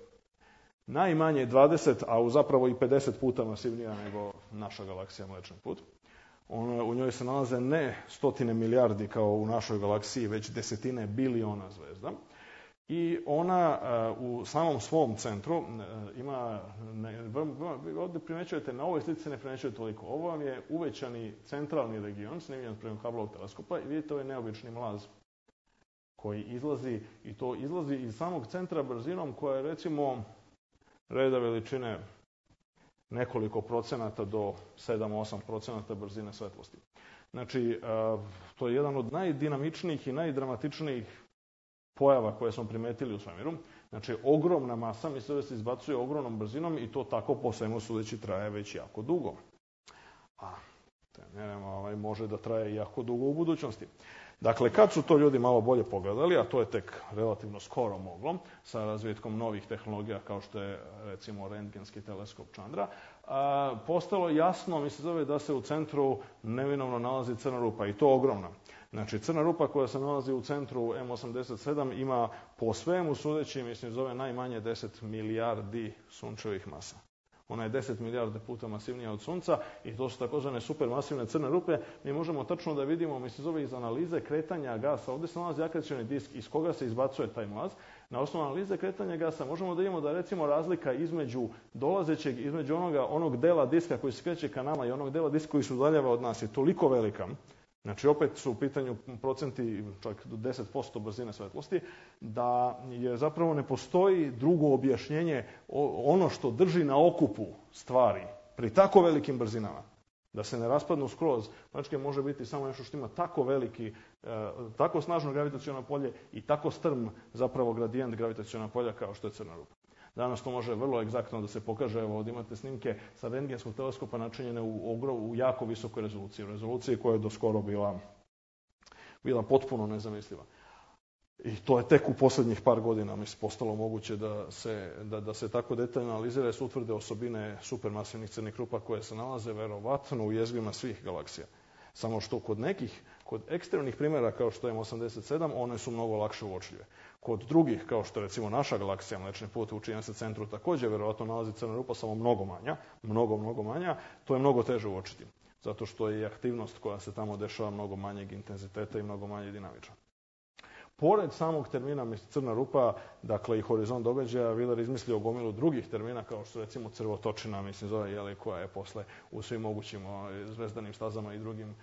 najmanje 20, a zapravo i 50 puta masivnija nego naša galaksija Mlečni put. U njoj se nalaze ne stotine milijardi kao u našoj galaksiji, već desetine biliona zvezda. I ona u samom svom centru ima, ovdje primećujete, na ovoj slici ne primećujete toliko. Ovo vam je uvećani centralni region, snimljen prema Hubbleovog teleskopa, i vidite ovaj neobični mlaz koji izlazi, i to izlazi iz samog centra brzinom koja je, recimo, reda veličine nekoliko procenata do 7-8% brzine svetlosti. Znači, to je jedan od najdinamičnijih i najdramatičnijih pojava koje smo primetili u svemiru. Znači, ogromna masa, misle da se izbacuje ogromnom brzinom, i to tako po svemu sudeći traje već jako dugo. A može da traje jako dugo u budućnosti. Dakle, kad su to ljudi malo bolje pogledali, a to je tek relativno skoro moglo, sa razvitkom novih tehnologija kao što je, recimo, rentgenski teleskop Chandra, postalo jasno, da se u centru neminovno nalazi crna rupa, i to ogromna. Znači, crna rupa koja se nalazi u centru M87 ima po svemu sudeći, najmanje 10 milijardi sunčevih masa. Ona je 10 milijarde puta masivnija od Sunca i to su takozvane supermasivne crne rupe. Mi možemo tačno da vidimo, iz analize kretanja gasa, ovdje se nalazi akrecioni disk iz koga se izbacuje taj mlaz. Na osnovu analize kretanja gasa možemo da vidimo da recimo razlika između onog dela diska koji se kreće ka nama i onog dela diska koji se udaljava od nas je toliko velika. Znači, opet su u pitanju procenti čak do 10% brzine svetlosti, da je zapravo ne postoji drugo objašnjenje ono što drži na okupu stvari pri tako velikim brzinama. Da se ne raspadnu skroz, znači može biti samo nešto što ima tako veliki, tako snažno gravitaciono polje i tako strm zapravo gradijent gravitacionog polja kao što je crna rupa. Danas to može vrlo egzaktno da se pokaže. Evo, ovdje imate snimke sa rentgenskog teleskopa načinjene u jako visokoj rezoluciji. U rezoluciji koja je do skoro bila potpuno nezamisliva. I to je tek u posljednjih par godina postalo moguće da se tako detaljno analizira i se utvrde osobine supermasivnih crnih rupa koje se nalaze verovatno u jezgrima svih galaksija. Samo što kod ekstremnih primjera kao što je M87, one su mnogo lakše uočljive. Kod drugih, kao što je recimo naša galaksija, Mlečni put, u čijem se centru također verovatno nalazi crna rupa, samo mnogo manja, to je mnogo teže uočiti. Zato što je i aktivnost koja se tamo dešava mnogo manjeg intenziteta i mnogo manje dinamična. Pored samog termina crna rupa, dakle i horizont događaja, Wheeler izmislio gomilu drugih termina, kao što recimo crvotočina, koja je posle u svim mogućim zvezdanim stazama i drugim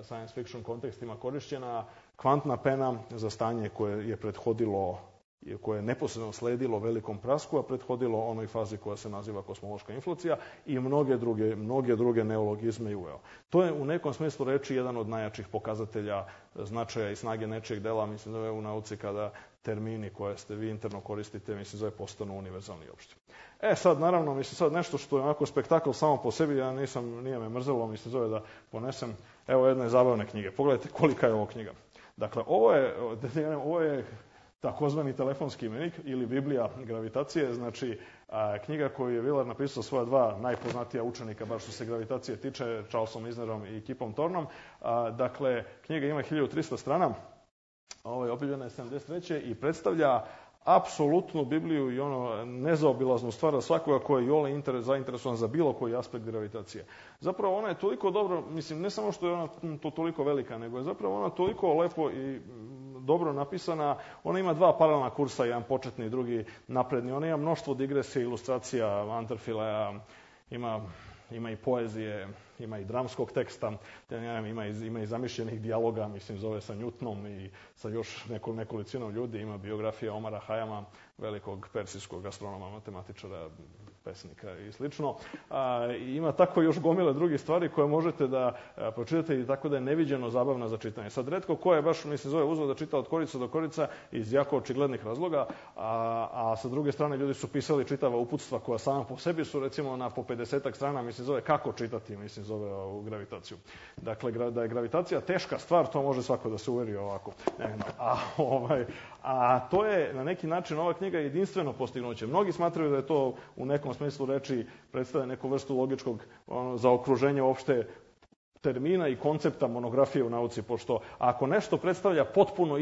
science fiction kontekstima korišćena. Kvantna pena za stanje koje je prethodilo, koje je neposredno sledilo velikom prasku, a prethodilo onoj fazi koja se naziva kosmološka inflacija i mnoge druge neologizme i uveo. To je u nekom smislu reči jedan od najjačih pokazatelja značaja i snage nečijeg dela, u nauci, kada termini koje ste vi interno koristite, postanu univerzalni i opšti. Sad, naravno, sad nešto što je onako spektakl samo po sebi, nije me mrzelo, da ponesem, evo jedne zabavne knjige. Pogledajte kolika je ovo knjiga. Dakle, ovo je takozvani telefonski imenik ili Biblija gravitacije, znači knjiga koju je Wheeler napisao svoja dva najpoznatija učenika, baš što se gravitacije tiče, Charlesom Eisnerom i Kipom Thornom. Dakle, knjiga ima 1300 strana, objavljena je 73. i predstavlja apsolutnu Bibliju i nezaobilaznu stvar za svakoga koji je iole zainteresovan za bilo koji aspekt gravitacije. Zapravo ona je toliko dobro, ne samo što je ona to toliko velika, nego je zapravo ona toliko lepo i dobro napisana. Ona ima dva paralelna kursa, jedan početni i drugi napredni. Ona ima mnoštvo digresija, ilustracija, Anterfileja, ima i poezije, ima i dramskog teksta, ima i zamišljenih dijaloga, zove sa Newtonom i sa još nekolicinom ljudi, ima biografija Omara Hayama, velikog persijskog astronoma, matematičara, pesnika i slično. Ima tako još gomile drugih stvari koje možete da pročitate i tako da je neviđeno zabavna za čitanje. Sad, retko ko je baš, uzeo da čita od korica do korica iz jako očiglednih razloga, a sa druge strane ljudi su pisali čitava uputstva koja sama po sebi su recimo na po 50-ak strana, kako čitati, ovu gravitaciju. Dakle, da je gravitacija teška stvar, to može svako da se uveri ovako. A to je na neki način ova knjiga jedinstveno postignuće. Mnogi smatraju da je to u nekom smislu reči predstavlja neku vrstu logičkog zaokruženja uopšte termina i koncepta monografije u nauci, pošto ako nešto predstavlja potpuno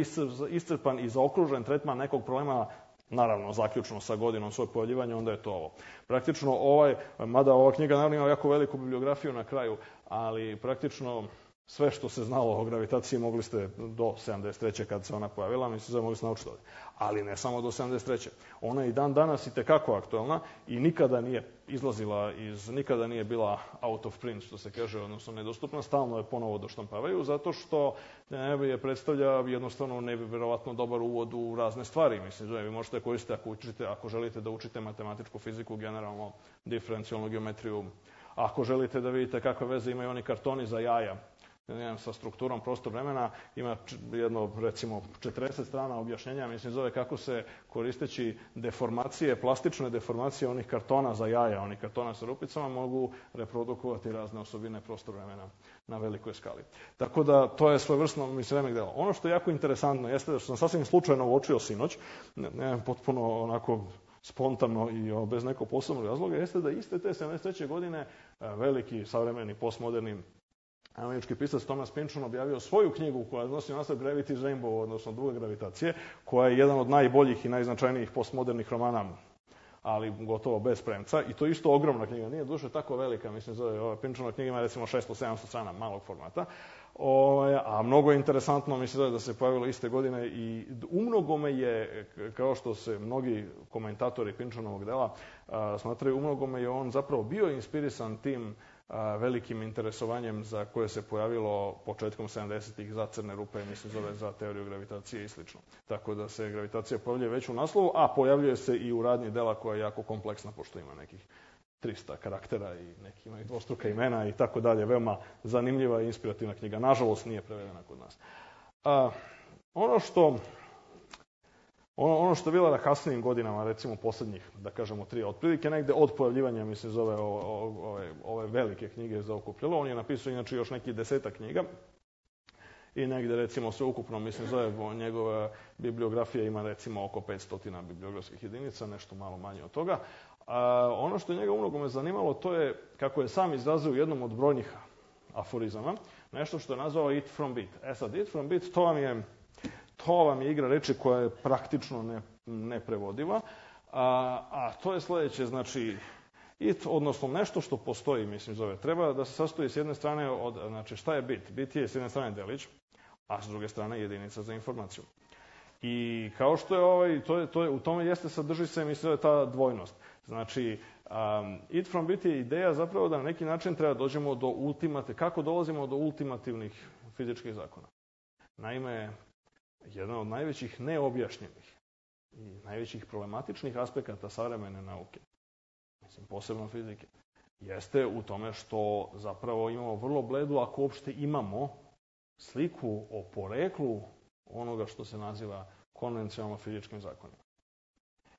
iscrpan i zaokružen tretman nekog problema, naravno, zaključno sa godinom svojeg pojavljivanja, onda je to ovo. Praktično mada ova knjiga naravno ima jako veliku bibliografiju na kraju, ali praktično sve što se znalo o gravitaciji mogli ste do 73. kad se ona pojavila, mogli ste naučiti ovdje. Ali ne samo do 73. Ona je i dan danas itekako aktualna i nikada nije izlazila nikada nije bila out of print, što se kaže, odnosno nedostupna, stalno je ponovo doštampavaju, zato što je predstavlja jednostavno nevjerovatno dobar uvod u razne stvari. Vi možete koristiti ako želite da učite matematičku fiziku, generalno diferencijalnu geometriju, ako želite da vidite kakve veze imaju oni kartoni za jaja, sa strukturom prostor-vremena, ima jedno, recimo, 40 strana objašnjenja, kako se koristeći deformacije, plastične deformacije onih kartona za jaja, onih kartona sa rupicama, mogu reprodukovati razne osobine prostor-vremena na velikoj skali. Tako da, to je svojevrsno remek delo. Ono što je jako interesantno jeste da što sam sasvim slučajno uočio sinoć, potpuno onako spontano i bez nekog posebnog razloga, jeste da iste te 73. godine veliki, savremeni, postmoderni američki pisac Thomas Pynchon objavio svoju knjigu koja nosi naslov Gravity's Rainbow, odnosno Duga gravitacije, koja je jedan od najboljih i najznačajnijih postmodernih romana ali gotovo bez premca. I to je isto ogromna knjiga, nije duše tako velika, mislim, ova Pinčanova knjiga ima recimo 600-700 strana malog formata. A mnogo je interesantno, mislim da se pojavilo iste godine i umnogome je, kao što se mnogi komentatori Pinčanovog dela smatraju, umnogome je on zapravo bio inspirisan tim velikim interesovanjem za koje se pojavilo početkom 70-ih za crne rupe, mislim za teoriju gravitacije i slično. Tako da se gravitacija pojavljuje već u naslovu, a pojavljuje se i u radnji dela koja je jako kompleksna, pošto ima nekih 300 karaktera i neki imaju dvostruka imena i tako dalje. Veoma zanimljiva i inspirativna knjiga. Nažalost, nije prevedena kod nas. Ono što je bilo na kasnijim godinama, recimo poslednjih, da kažemo 3, otprilike negde od pojavljivanja, mislim, zove ove velike knjige za okupljalo. On je napisao inače još nekih 10 knjiga i negde, recimo, sve ukupno, mislim, zove njegova bibliografija ima, recimo, oko 500 bibliografskih jedinica, nešto malo manje od toga. Ono što je njega umnogome zanimalo, to je, kako je sam izrazio u jednom od brojnih aforizama, nešto što je nazvao It from Bit. Sad, It from Bit, to vam je igra reči koja je praktično neprevodiva, a to je sledeće, znači, it, odnosno nešto što postoji, mislim, zove, treba da se sastoji s jedne strane od, znači, šta je bit? Bit je s jedne strane delić, a s druge strane jedinica za informaciju. I kao što je u tome sadrži se, mislim, ta dvojnost. Znači, It from Bit je ideja zapravo da na neki način treba dođemo do kako dolazimo do ultimativnih fizičkih zakona. Naime, jedan od najvećih neobjašnjenih i najvećih problematičnih aspekata savremene nauke, mislim, posebno fizike, jeste u tome što zapravo imamo vrlo bledu, ako uopšte imamo, sliku o poreklu onoga što se naziva konvencionalno fizičkim zakonima.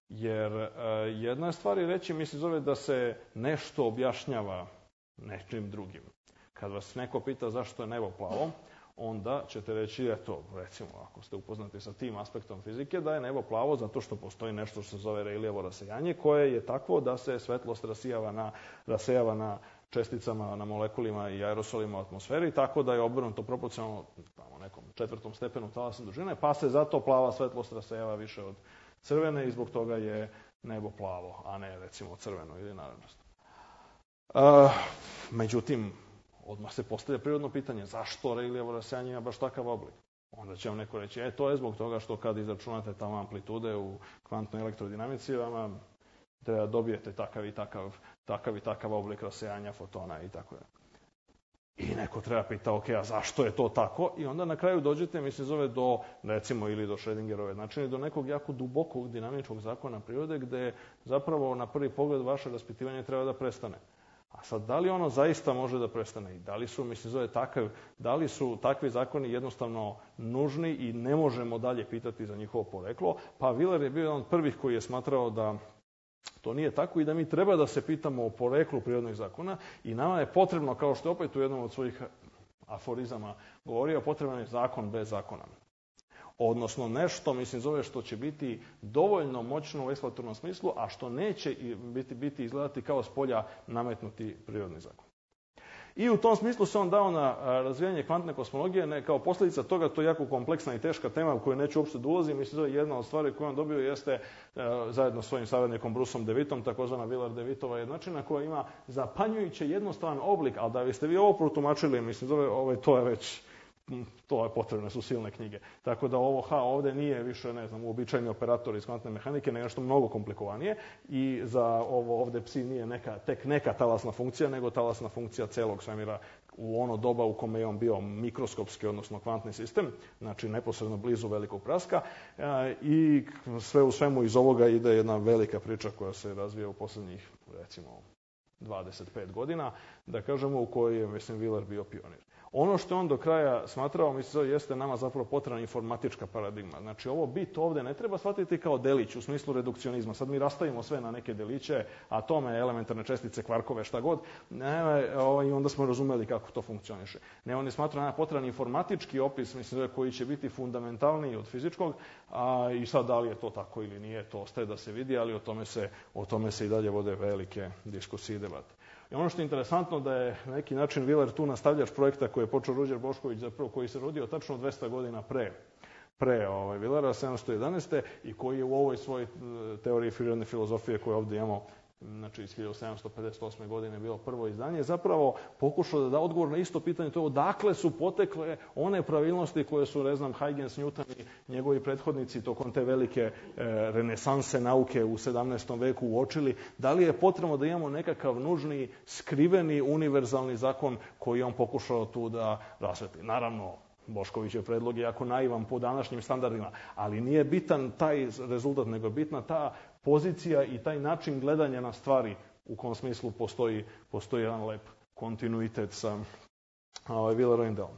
Jer jedna stvar je reći, mislim, zove da se nešto objašnjava nečim drugim. Kad vas neko pita zašto je nebo plavo, onda ćete reći, eto, recimo, ako ste upoznati sa tim aspektom fizike, da je nebo plavo zato što postoji nešto što se zove Rayleighovo rasejanje, koje je takvo da se svetlost rasejava na česticama, na molekulima i aerosolima u atmosferi, tako da je obrnuto proporcionalno nekom 4. stepenu talasne dužine, pa se zato plava svetlost rasejava više od crvene i zbog toga je nebo plavo, a ne, recimo, crveno ili narančasto. Međutim, odmah se postavlja prirodno pitanje, zašto Rayleighovo rasejanje ima baš takav oblik? Onda će vam neko reći, to je zbog toga što kad izračunate tamo amplitude u kvantnoj elektrodinamici, vama treba dobijete takav i takav oblik rasejanja fotona i tako da. I neko treba pita, a zašto je to tako? I onda na kraju dođete, mislim, zove do, recimo, ili do Schrödingerove, znači do nekog jako dubokog dinamičkog zakona prirode, gde zapravo na prvi pogled vaše raspitivanje treba da prestane. A sad, da li ono zaista može da prestane? I da li su, mislim, zove da li su takvi zakoni jednostavno nužni i ne možemo dalje pitati za njihovo poreklo? Pa Wheeler je bio jedan od prvih koji je smatrao da to nije tako i da mi treba da se pitamo o poreklu prirodnih zakona i nama je potrebno, kao što je opet u jednom od svojih aforizama govorio, potreban je zakon bez zakona. Odnosno nešto, mislim, zove što će biti dovoljno moćno u eksploratornom smislu, a što neće biti izgledati kao s polja nametnuti prirodni zakon. I u tom smislu se on dao na razvijanje kvantne kosmologije, kao posljedica toga, to je jako kompleksna i teška tema u koju neću uopšte da ulazim. Mislim da jedna od stvari koju on dobio jeste zajedno s svojim saradnikom Bruceom DeWittom, takozvana Wheeler-DeWittova jednačina, koja ima zapanjujuće jednostavan oblik, ali da biste vi ovo protumačili, mislim, to je potrebne su silne knjige. Tako da ovo ovde nije više, ne znam, uobičajeni operator iz kvantne mehanike, nego nešto mnogo komplikovanije i za ovo ovde psi nije tek neka talasna funkcija, nego talasna funkcija celog svemira u ono doba u kome je on bio mikroskopski, odnosno kvantni sistem, znači neposredno blizu velikog praska i sve u svemu iz ovoga ide jedna velika priča koja se razvija u poslednjih, recimo, 25 godina, da kažemo, u kojoj je, mislim, Wheeler bio pionir. Ono što on do kraja smatrao, mislim, jeste nama zapravo potrebna informatička paradigma. Znači, ovo bit ovde ne treba shvatiti kao delić u smislu redukcionizma. Sad mi rastavimo sve na neke deliće, atome, elementarne čestice, kvarkove, šta god, i onda smo razumeli kako to funkcioniše. Ne, on je smatrao nama potreban informatički opis, mislim, koji će biti fundamentalniji od fizičkog, i sad da li je to tako ili nije, to ostaje da se vidi, ali o tome se i dalje vode velike diskusije i debate. I ono što je interesantno da je na neki način Wheeler tu nastavljač projekta koji je počeo Ruđer Bošković, zapravo koji se rodio tačno 200 godina pre pre Willera 711. i koji je u ovoj svojoj teoriji prirodne filozofije koju ovdje imamo, znači iz 1758. godine bilo prvo izdanje, zapravo pokušao da da odgovor na isto pitanje, to je odakle su potekle one pravilnosti koje su, ne znam, Huygens, Newton i njegovi prethodnici tokom te velike renesanse nauke u 17. veku uočili, da li je potrebno da imamo nekakav nužni, skriveni, univerzalni zakon koji on pokušao tu da rasvetli. Naravno, Boškovićev predlog je jako naivan po današnjim standardima, ali nije bitan taj rezultat, nego je bitna ta pozicija i taj način gledanja na stvari u kom smislu postoji jedan lep kontinuitet sa Willerovim delom.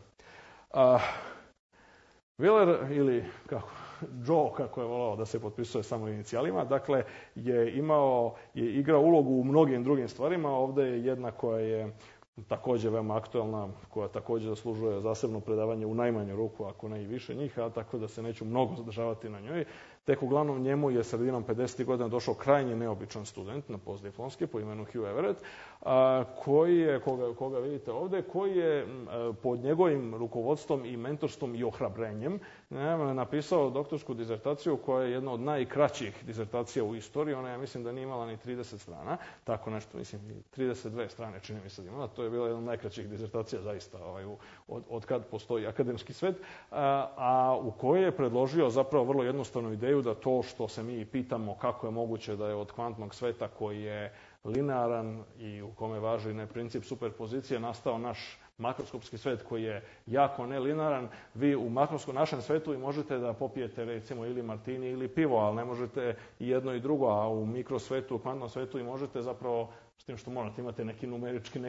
Willer, ili Joe, kako je volao da se potpisuje samo inicijalima, dakle, je igrao ulogu u mnogim drugim stvarima. Ovdje je jedna koja je također veoma aktualna, koja također zaslužuje zasebno predavanje u najmanju ruku, ako ne i više njih, a tako da se neću mnogo zadržavati na njoj. Tek uglavnom njemu je sredinom 50. godina došao krajnje neobičan student na postdiplomski po imenu Hugh Everett, koji je, koga vidite ovdje, koji je pod njegovim rukovodstvom i mentorstvom i ohrabrenjem napisao doktorsku dizertaciju koja je jedna od najkraćih dizertacija u istoriji. Ona, ja mislim da nije imala ni 30 strana, tako nešto, mislim, 32 strane čini mi se da imala. To je bila jedna od najkraćih dizertacija zaista od kad postoji akademski svet, a u kojoj je predložio zapravo vrlo jednostavnu ideju da to što se mi pitamo kako je moguće da je od kvantnog sveta koji je linearan i u kome važi princip superpozicije nastao naš makroskopski svet koji je jako nelinearan. Vi u našem svetu i možete da popijete recimo ili martini ili pivo, ali ne možete i jedno i drugo, a u mikrosvetu, u kvantnom svetu i možete zapravo, s tim što morate imate neki numerički,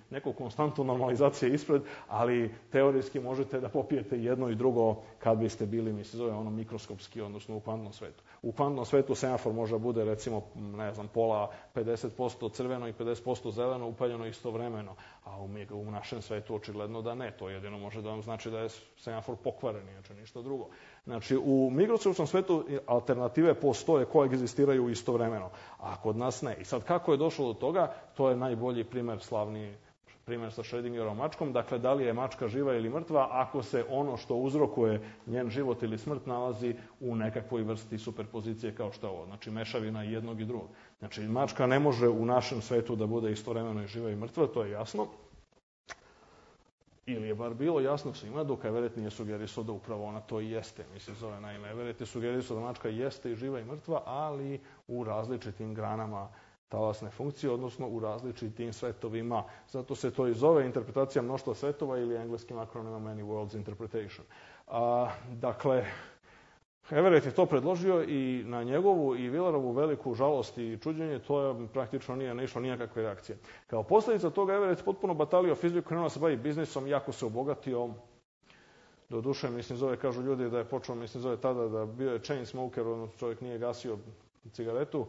neku konstantu normalizacije ispred, ali teorijski možete da popijete jedno i drugo kad biste bili, mi se zove ono mikroskopski, odnosno u kvantnom svetu. U kvantnom svetu semafor može bude recimo, ne znam, pola 50% crveno i 50% zeleno upaljeno istovremeno, a u našem svetu očigledno da ne. To jedino može da vam znači da je semafor pokvaren, inače ništa drugo. Znači, u mikroskopskom svetu alternative postoje, koegzistiraju istovremeno, a kod nas ne. I sad kako je došlo do toga, to je najbolji primjer, slavni primjer sa Schrödingerovom mačkom. Dakle, da li je mačka živa ili mrtva ako se ono što uzrokuje njen život ili smrt nalazi u nekakvoj vrsti superpozicije kao što je ovo. Znači, mešavina jednog i drugog. Znači, mačka ne može u našem svetu da bude istovremeno i živa i mrtva, to je jasno. Ili je bar bilo jasno svima, dok Everett nije sugerisao da upravo ona to i jeste. Mislim, zove naime, Everett je sugerisao da mačka jeste i živa i mrtva, ali u različitim granama talasne funkcije, odnosno u različitim svetovima. Zato se to i zove interpretacija mnoštva svetova ili engleskim akronimom Many Worlds Interpretation. Dakle, Everett je to predložio i na njegovu i Willerovu veliku žalost i čuđenje, to je praktično nije naišlo nijakakve reakcije. Kao posljedica toga Everett potpuno batalio fiziku, krenuo se bavi biznisom, jako se obogatio. Doduše, mislim, zove, kažu ljudi da je počeo, mislim, zove tada da bio je chain smoker, čovjek nije gasio cigaretu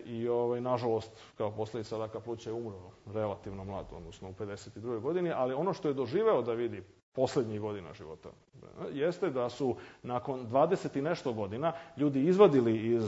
i nažalost, kao posljedica raka pluća je umro relativno mlad, odnosno u 52. godini, ali ono što je doživeo da vidi posljednjih godina života jeste da su nakon 20 i nešto godina ljudi izvadili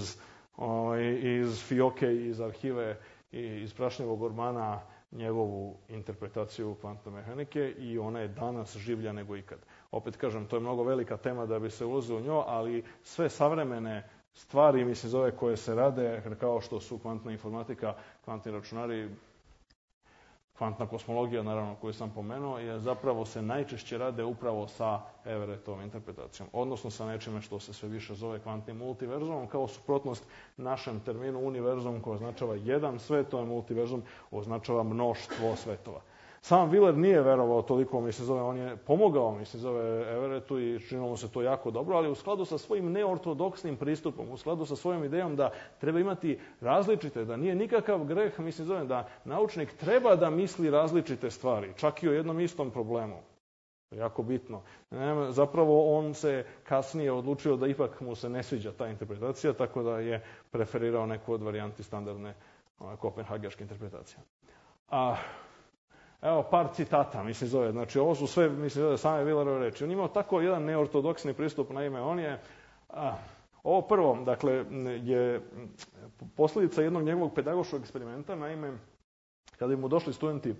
iz fioke, iz arhive i iz prašnjevog ormana njegovu interpretaciju kvantne mehanike i ona je danas življa nego ikad. Opet kažem, to je mnogo velika tema da bi se ulazio u nju, ali sve savremene stvari, mislim, zove koje se rade, kao što su kvantna informatika, kvantni računari, kvantna kosmologija, naravno, koju sam pomenuo, je zapravo se najčešće rade upravo sa Everettovom interpretacijom, odnosno sa nečime što se sve više zove kvantnim multiverzumom, kao suprotnost našem terminu univerzum koji označava jedan svet, to je multiverzum, označava mnoštvo svetova. Sam Willer nije verovao toliko, mislim, zove, on je pomogao, mislim, zove Everettu i činilo mu se to jako dobro, ali u skladu sa svojim neortodoksnim pristupom, u skladu sa svojom idejom da treba imati različite, da nije nikakav greh, mislim, zove, da naučnik treba da misli različite stvari, čak i o jednom istom problemu. To je jako bitno. Zapravo on se kasnije odlučio da ipak mu se ne sviđa ta interpretacija, tako da je preferirao neku od varijanti standardne kopenhagerške interpretacije. Evo par citata, mislim, zove. Znači, ovo su sve, mislim, zove, same Willerove reči. On imao tako jedan neortodoksni pristup, naime, on je... Ovo prvo, dakle, je posljedica jednog njegovog pedagoškog eksperimenta, naime, kada bi mu došli studenti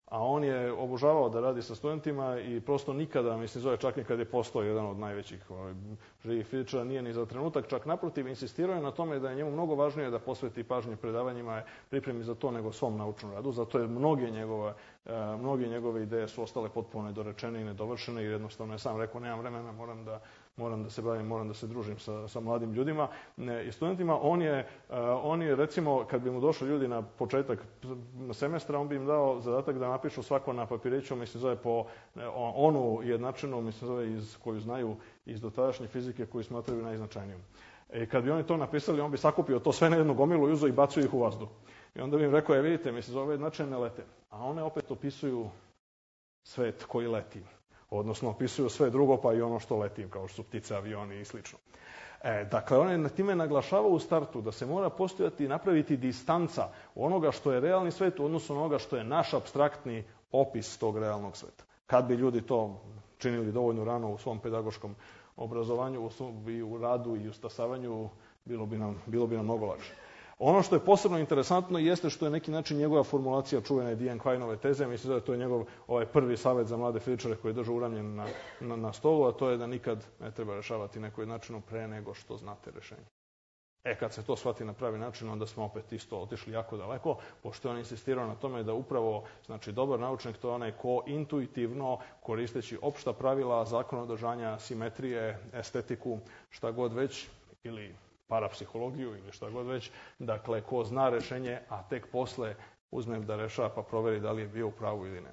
A on je obožavao da radi sa studentima i prosto nikada, mislim, zove čak i kad je postao jedan od najvećih živih fizičara, nije ni za trenutak, čak naprotiv, insistirao je na tome da je njemu mnogo važnije da posveti pažnje predavanjima, pripremi za to nego svom naučnom radu. Zato je mnoge njegove ideje su ostale potpuno nedorečene i nedovršene i jednostavno je sam rekao, nemam vremena, moram da se bavim, moram da se družim sa mladim ljudima i studentima. On je, recimo, kad bi mu došli ljudi na početak semestra, on bi im dao zadatak da napišu svako na papiriću, mislim, zove po onu jednačinu, mislim, zove koju znaju iz dotadašnje fizike, koju smatraju najznačajnijom. Kad bi oni to napisali, on bi sakupio to sve na jednu gomilu i uzeo i bacio ih u vazduh. I onda bi im rekao, vidite, mislim, zove jednačine ne lete. A one opet opisuju svet koji leti. Odnosno, opisuju sve drugo, pa i ono što leti, kao što su ptice, avioni i slično. Dakle, on je na time naglašavao u startu da se mora postojati i napraviti distanca onoga što je realni svet u odnosu na onoga što je naš apstraktni opis tog realnog sveta. Kad bi ljudi to činili dovoljno rano u svom pedagoškom obrazovanju, i u radu i u stasavanju, bilo bi nam mnogo lakše. Ono što je posebno interesantno jeste što je neki način njegova formulacija čuvene Diane Quineove teze, mislim da je to njegov prvi savjet za mlade fizičare koji je držao uramljen na stolu, a to je da nikad ne treba rešavati neko jednačinu pre nego što znate rešenje. Kad se to shvati na pravi način, onda smo opet isto otišli jako daleko, pošto je on insistirao na tome da upravo, znači, dobar naučnik to je onaj ko intuitivno, koristeći opšta pravila, zakon održanja, simetrije, estetiku, šta god već, ili parapsihologiju ili šta god već, dakle, ko zna rešenje, a tek posle uzme da rešava pa proveri da li je bio u pravu ili ne.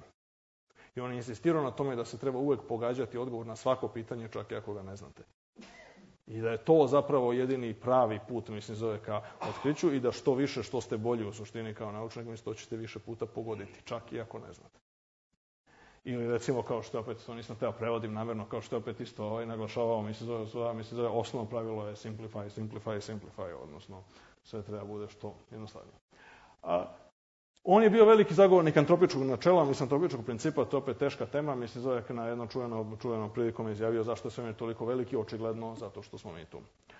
I on je insistirao na tome da se treba uvek pogađati odgovor na svako pitanje, čak i ako ga ne znate. I da je to zapravo jedini pravi put, mislim, zove ka otkriću i da što više, što ste bolji u suštini kao naučnik, mislim, to ćete više puta pogoditi, čak i ako ne znate. Ili recimo, kao što opet, to nisam teo prevodim namjerno, kao što opet isto naglašavao, mislim, zove osnovno pravilo je simplify, odnosno sve treba bude što jednostavnije. On je bio veliki zagovornik antropičkog načela, mislim, antropičkog principa, to je opet teška tema, mislim, zove na jednom čuvenom prilikom izjavio zašto je svemir toliko veliki, očigledno zato što smo mi tu.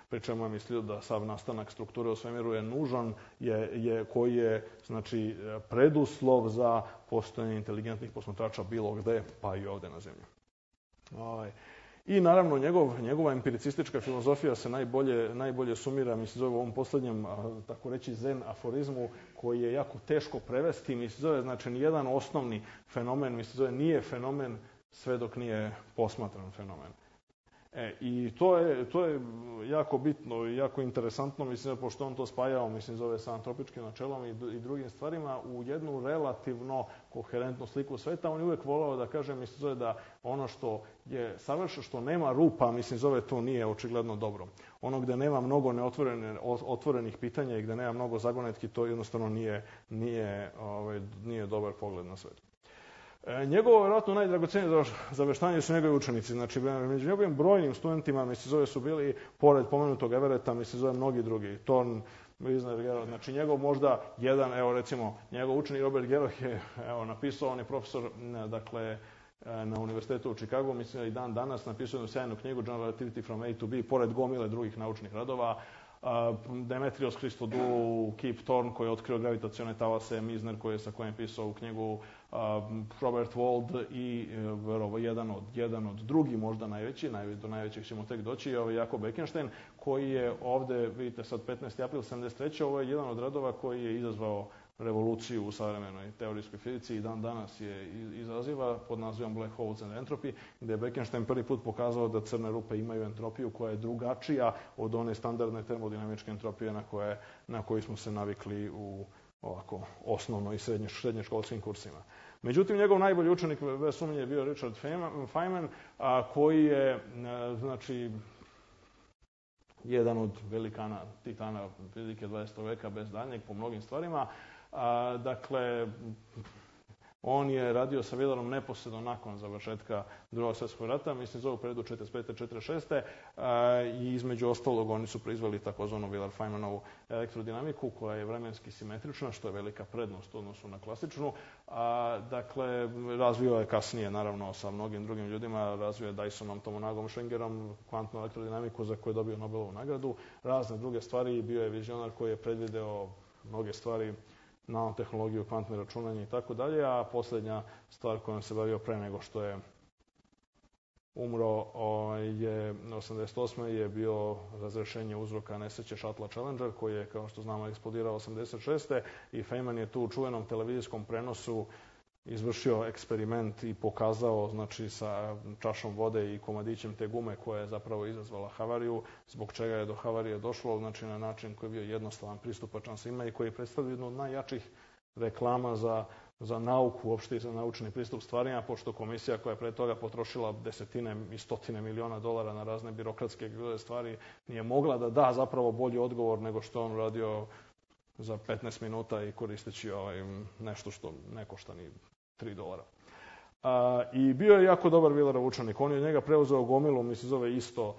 Pri čemu je mislio da sav nastanak strukture u svemiru je nužan, koji je, znači, preduslov za postojanje inteligentnih posmatrača bilo gde, pa i ovde na zemlji. I naravno, njegova empiricistička filozofija se najbolje sumira, mislim, zove u ovom poslednjem, tako reći, zen aforizmu, koji je jako teško prevesti, mislim, zove, znači, nijedan osnovni fenomen, mislim, zove, nije fenomen sve dok nije posmatran fenomen. I to je jako bitno i jako interesantno, mislim, pošto on to spajao, mislim, zove sa antropičkim načelom i drugim stvarima u jednu relativno koherentnu sliku sveta. On je uvek volao da kaže, mislim, zove da ono što je savršeno, što nema rupa, mislim, zove to nije očigledno dobro. Ono gde nema mnogo otvorenih pitanja i gde nema mnogo zagonetki, to jednostavno nije dobar pogled na svet. Njegovo, vjerojatno, najdragocenije zaveštanje su njegovi učenici. Znači, među njegovim brojnim studentima, mislim, zove, su bili, pored pomenutog Everetta, mislim, zove, mnogi drugi. Thorne, Wisner, Gerard, znači, njegov možda jedan, evo, recimo, njegov učenik Robert Geroch je, evo, napisao, on je profesor, dakle, na univerzitetu u Chicagu, mislim, i dan danas napisao jednu sjajnu knjigu General Relativity from A to B, pored gomile drugih naučnih radova. Demetrios Christodoulou, Kip Thorne koji je otkrio gravitacione talase, Misner sa kojim je pisao u knjigu, Robert Wald i jedan od drugi, možda najveći, do najvećih ćemo tek doći, je Jakob Bekenstein, koji je ovde, vidite sad 15. april 73. Ovo je jedan od radova koji je izazvao revoluciju u savremenoj teorijskoj fizici i dan danas je izaziva pod nazivom Black Holes and Entropy, gde je Bekenstein prvi put pokazao da crne rupe imaju entropiju koja je drugačija od one standardne termodinamičke entropije na koju smo se navikli u ovako osnovno i srednjoškolskim kursima. Međutim, njegov najbolji učenik bez sumnje je bio Richard Feynman, koji je, znači, jedan od velikana, titana fizike 20. veka bez daljnjeg po mnogim stvarima. Dakle, on je radio sa Wheelerom neposredno nakon završetka Drugog svjetskog rata, mislim, zove u periodu 45. 46. I između ostalog oni su proizveli takozvanu Wheeler-Feynmanovu elektrodinamiku koja je vremenski simetrična, što je velika prednost u odnosu na klasičnu. Dakle, razvio je kasnije, naravno, sa mnogim drugim ljudima, razvio je Dysonom, Tomonagom, Schengerom, kvantnu elektrodinamiku za koju je dobio Nobelovu nagradu, razne druge stvari, bio je vizionar koji je predvideo mnoge stvari nanotehnologiju, kvantne računanje i tako dalje, a posljednja stvar kojom se bavio pre nego što je umro je 88. je bio razrešenje uzroka nesreće Shuttle Challenger, koji je, kao što znamo, eksplodirao 86. i Feynman je tu u čuvenom televizijskom prenosu izvršio eksperiment i pokazao, znači, sa čašom vode i komadićem te gume koja je zapravo izazvala havariju, zbog čega je do havarije došlo, znači na način koji je bio jednostavan, pristupačan svima i koji predstavlja jednu od najjačih reklama za nauku, uopšte i za naučni pristup stvarima, pošto komisija koja je pre toga potrošila desetine i stotine miliona dolara na razne birokratske stvari nije mogla da da zapravo bolji odgovor nego što on uradio za 15 minuta i koristeći nešto što ne košta ni $3. I bio je jako dobar Wheelerov učenik. On je od njega preuzeo gomilu, mi se zove isto,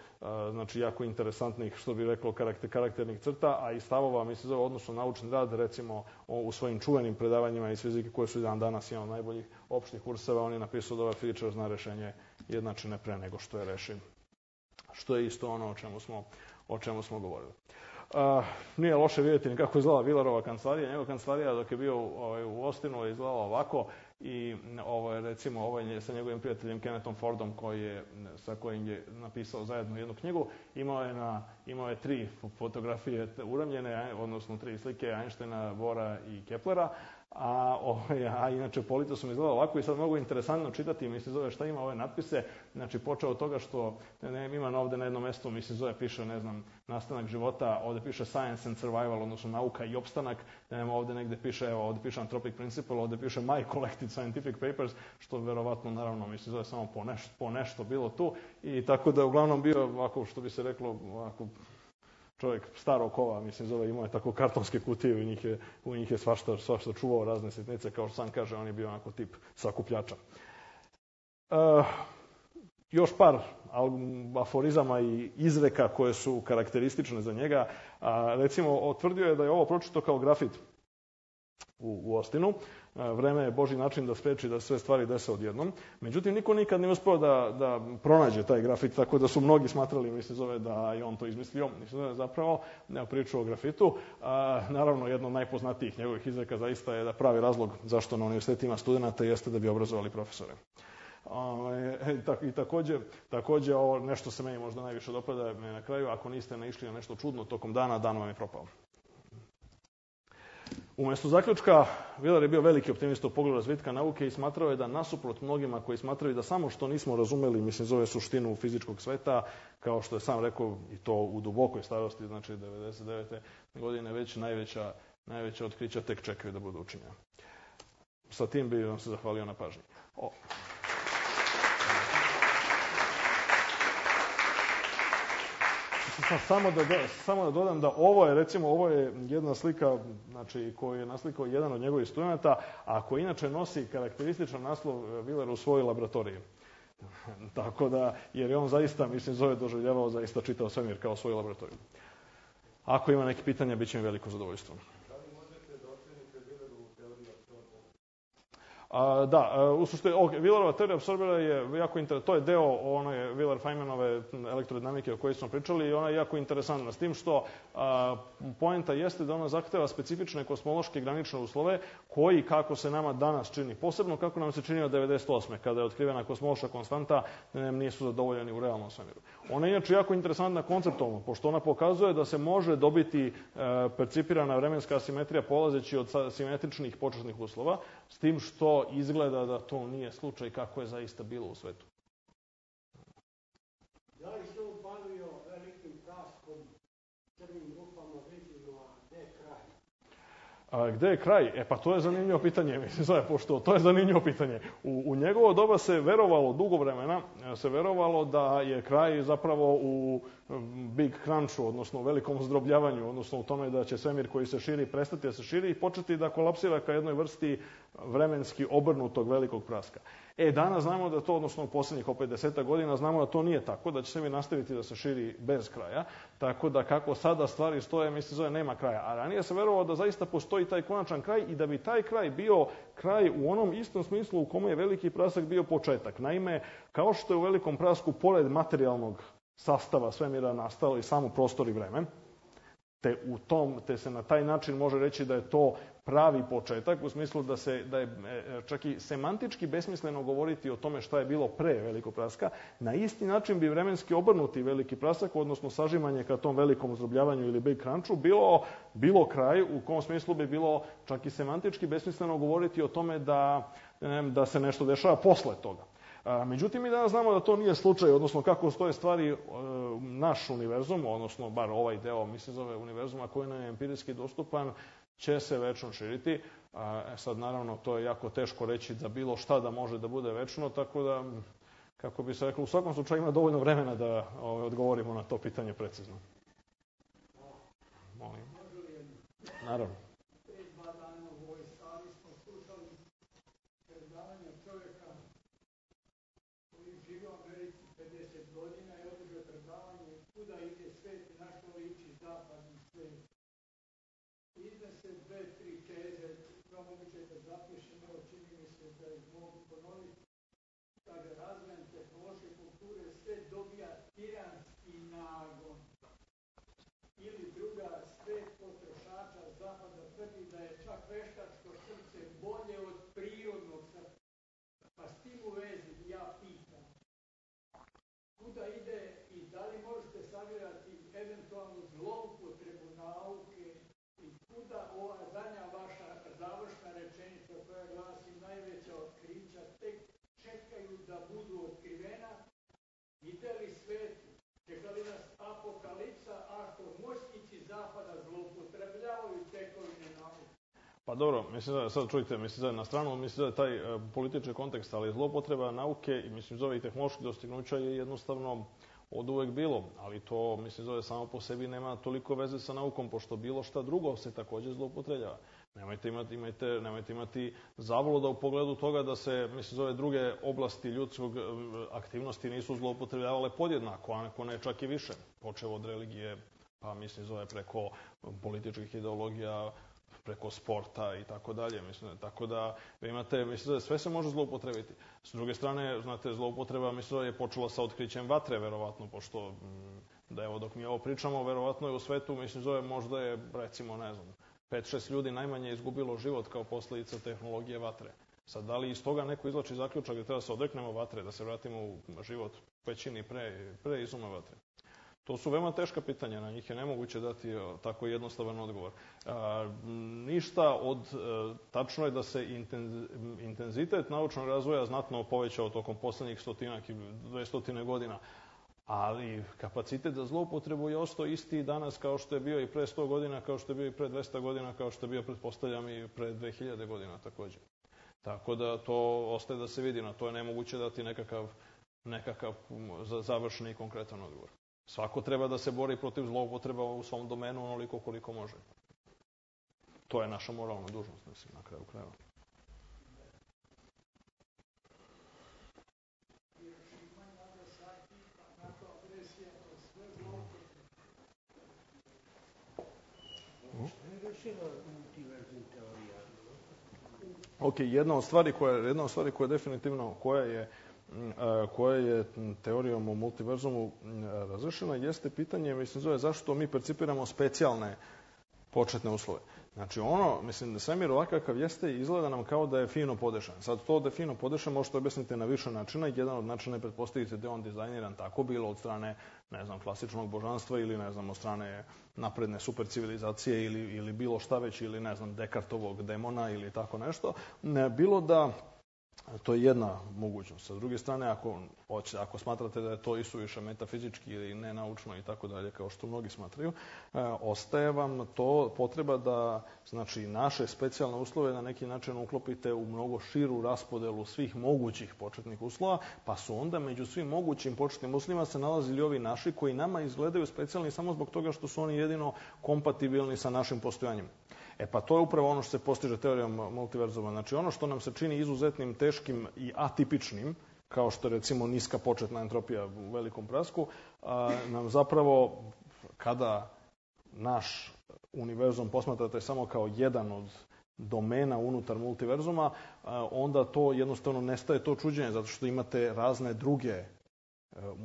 znači jako interesantnih, što bi reklo, karakternih crta, a i stavova, mi se zove odnosno naučni rad, recimo u svojim čuvenim predavanjima iz fizike koje su i dan danas jedan od najboljih opštih kurseva, on je napisao da ovaj fizičar zna rešenje jednačine pre nego što je reši. Što je isto ono o čemu smo govorili. Nije loše vidjeti ni kako je izgledala Wheelerova kancelarija. Njegova kancelarija dok je bio u Austinu je izgledala ovako i recimo ovo je sa njegovim prijateljem Kennethom Fordom sa kojim je napisao zajedno jednu knjigu. Imao je 3 fotografije uramljene, odnosno 3 slike Einsteina, Bohra i Keplera. A inače polica su mi izgledala ovako i sad mogu interesantno čitati, mi se zove šta ima ove natpise, znači počeo od toga što imam ovde na jednom mestu, mi se zove, piše, ne znam, nastanak života, ovde piše science and survival, odnosno nauka i opstanak, ovde negde piše, evo, ovde piše anthropic principle, ovde piše my collected scientific papers, što verovatno, naravno, mi se zove samo po nešto bilo tu i tako da je uglavnom bio, ovako, što bi se reklo, ovako, čovjek starog kova, mislim, zove, imao je tako kartonske kutije i u njih je svašta čuvao razne sitnice, kao što sam kaže, on je bio onako tip sakupljača. Još par aforizama i izreka koje su karakteristične za njega. Recimo, tvrdio je da je ovo pročito kao grafit u Austinu. Vreme je Božji način da spreči da sve stvari dese odjednom. Međutim, niko nikad nije uspeo da pronađe taj grafit, tako da su mnogi smatrali, mislim, zove da je on to izmislio. Mislim, zove zapravo priču o grafitu. Naravno, jedno od najpoznatijih njegovih izreka zaista je da pravi razlog zašto na univerzitetu ima studenta jeste da bi obrazovali profesore. I takođe ovo nešto se meni možda najviše dopada na kraju, ako niste naišli na nešto čudno tokom dana, dan vam je propao. Umesto zaključka, Wheeler je bio veliki optimista u pogledu razvitka nauke i smatrao je da nasuprot mnogima koji smatraju da samo što nismo razumeli, mislim, zove suštinu fizičkog sveta, kao što je sam rekao, i to u dubokoj starosti, znači 99. godine, već najveća otkrića tek čekaju da budu učinjena. Sa tim bih vam se zahvalio na pažnji. Samo da dodam da ovo je jedna slika, znači, koju je naslikao jedan od njegovih studenta, a koji inače nosi karakterističan naslov Wheeler u svojoj laboratoriji. Tako da, jer je on zaista, mislim, zove doživljavao, zaista čitao svemir kao svoju laboratoriju. Ako ima neki pitanja, bit će mi veliko zadovoljstvo. Da, u suštini, Wheelerova teorija apsorbera je jako interesantna, to je deo Wheeler-Feynmanove elektrodinamike o kojoj smo pričali i ona je jako interesantna, s tim što poenta jeste da ona zahteva specifične kosmološke granične uslove koji, kako se nama danas čini, posebno kako nam se činio 98. kada je otkrivena kosmološka konstanta, nisu zadovoljeni u realnom svemiru. Ona je inače jako interesantna konceptualno, pošto ona pokazuje da se može dobiti percipirana vremenska asimetrija polazeći od simetričnih početnih uslova, s tim što izgleda da to nije slučaj kako je zaista bilo u svetu. Da li se on bavio velikim praskom, crnim rupama, vidimo, gde je kraj? Gde je kraj? Pa to je zanimljivo pitanje, mislim, pošto to je zanimljivo pitanje. U njegovo doba se verovalo, dugo vremena, se verovalo da je kraj zapravo u Big Crunchu, odnosno u velikom zdrobljavanju, odnosno u tome da će svemir koji se širi prestati da se širi i početi da kolapsira ka jednoj vrsti vremenski obrnutog velikog praska. Danas znamo da to, odnosno u poslednjih opet 10 godina, znamo da to nije tako, da će svemir nastaviti da se širi bez kraja, tako da kako sada stvari stoje, mislim, zove nema kraja. A ranije se verovalo da zaista postoji taj konačan kraj i da bi taj kraj bio kraj u onom istom smislu u kome je veliki prasak bio početak. Naime, kao što je u velikom prasku, pored materijalnog sastava svemira nastao i samo prostor i vreme, te se na taj način može reći da je to pravi početak, u smislu da je čak i semantički besmisleno govoriti o tome šta je bilo pre velikog praska. Na isti način bi vremenski obrnuti veliki prasak, odnosno sažimanje ka tom velikom zdrobljavanju ili Big Crunchu, bilo kraj, u kom smislu bi bilo čak i semantički besmisleno govoriti o tome da se nešto dešava posle toga. Međutim, mi danas znamo da to nije slučaj, odnosno kako stoje stvari, naš univerzum, odnosno bar ovaj deo, mi se zove univerzuma koji nam je empirijski dostupan, će se večno širiti. Sad, naravno, to je jako teško reći da bilo šta da može da bude večno, tako da, kako bi se reklo, u svakom slučaju ima dovoljno vremena da odgovorimo na to pitanje precizno. Molim. Naravno. Iznese 2-3 teze, moguće da zapišem, evo čini mi se da ih mogu ponoviti. Kaže, razvojem tehnološke kulture sve dobija tiranski nagon. Ili druga, svet potrošača zapada tvrdi da je čak veštačko srce bolje od prirodnog srca. Pa s tim u vezi ja pitam, kuda ide i da li možete sagledati eventualnu zloupotrebu nauke i kuda ova zadnja vaša završna rečenica koja glasi najveća otkrića tek čekaju da budu otkrivena? Ide li svetu? Čeka li nas apokalipsa ako moćnici zapada zloupotrebljavaju tekovine nauke? Pa dobro, mislim da sad čujte, mislim da na stranu, mislim da je taj politički kontekst, ali zloupotreba nauke i mislim zove i tehnoloških dostignuća je jednostavno od uvek bilo, ali to, mislim, zove samo po sebi nema toliko veze sa naukom, pošto bilo šta drugo se takođe zloupotrebljava. Nemojte imati zavoloda u pogledu toga da se, mislim, zove druge oblasti ljudskog aktivnosti nisu zloupotrebljavale podjednako, a neko ne čak i više. Počev od religije, pa mislim, zove preko političkih ideologija, preko sporta i tako dalje. Tako da vi imate, mislim da sve se može zloupotrebiti. S druge strane, znate, zloupotreba, mislim da je počela sa otkrićem vatre, verovatno, pošto da evo dok mi ovo pričamo, verovatno je u svetu, mislim da možda je, recimo, ne znam, 5-6 ljudi najmanje izgubilo život kao posledica tehnologije vatre. Sad, da li iz toga neko izvlači zaključak da treba se odreknemo vatre, da se vratimo u život većini pre izuma vatre? To su veoma teška pitanja, na njih je nemoguće dati tako jednostavan odgovor. Ništa od... Tačno je da se intenzitet naučnog razvoja znatno povećao tokom poslednjih 100 i 200 godina, ali kapacitet za zloupotrebu je ostao isti danas kao što je bio i pre 100 godina, kao što je bio i pre 200 godina, kao što je bio, pretpostavljam, i pre 2000 godina takođe. Tako da to ostaje da se vidi, na to je nemoguće dati nekakav završeni i konkretan odgovor. Svako treba da se bori protiv zloupotreba u svom domenu onoliko koliko može. To je naša moralna dužnost, mislim, na kraju krajeva. Ok, jedna od stvari koja je definitivno, koja je teorijom o multiverzumu razrešena, jeste pitanje, mislim, zove zašto mi percipiramo specijalne početne uslove. Znači, mislim da svemir ovakav kakav jeste izgleda nam kao da je fino podešan. Sad, to da je fino podešan možete objasniti na više načina. Jedan od načina je pretpostaviti da je on dizajniran tako, bilo od strane, ne znam, klasičnog božanstva ili, ne znam, od strane napredne supercivilizacije ili bilo šta već, ili, ne znam, Dekartovog demona ili tako nešto. Bilo da... To je jedna mogućnost. Sa druge strane, ako smatrate da je to isuviše metafizički ili nenaučno i tako dalje, kao što mnogi smatraju, ostaje vam to potreba da, znači, naše specijalne uslove na neki način uklopite u mnogo širu raspodelu svih mogućih početnih uslova, pa su onda među svim mogućim početnim uslovima se nalazili ovi naši koji nama izgledaju specijalni samo zbog toga što su oni jedino kompatibilni sa našim postojanjem. Pa to je upravo ono što se postiže teorijom multiverzuma. Znači, ono što nam se čini izuzetnim, teškim i atipičnim, kao što je, recimo, niska početna entropija u velikom prasku, nam zapravo, kada naš univerzum posmatrate samo kao jedan od domena unutar multiverzuma, onda to jednostavno nestaje to čuđenje, zato što imate razne druge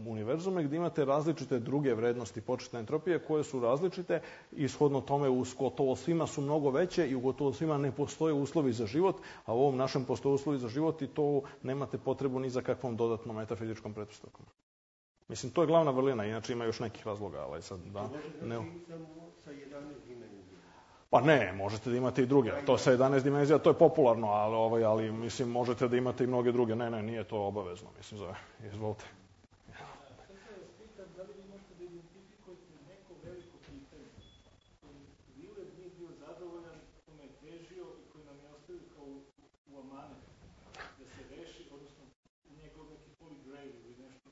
univerzume gdje imate različite druge vrednosti početne entropije koje su različite i shodno tome u gotovo svima su mnogo veće i u gotovo svima ne postoje uslovi za život, a u ovom našem postoje uslovi za život i to nemate potrebu ni za kakvom dodatnom metafizičkom pretpostavkom. Mislim, to je glavna vrlina, inače ima još nekih razloga, ali sad da... Pa ne, možete da imate i druge. To sa 11 dimenzija, to je popularno, ali mislim, možete da imate i mnoge druge. Ne, nije to obavezno, mislim, zove. Izvolite. Da li vi možete da identifikujete neko veliko pitanje koji Wheeler nije bio zadovoljan, kome je težio i koji nam je ostavio kao u amanet da se reši, odnosno njegov neki holy grail ili nešto?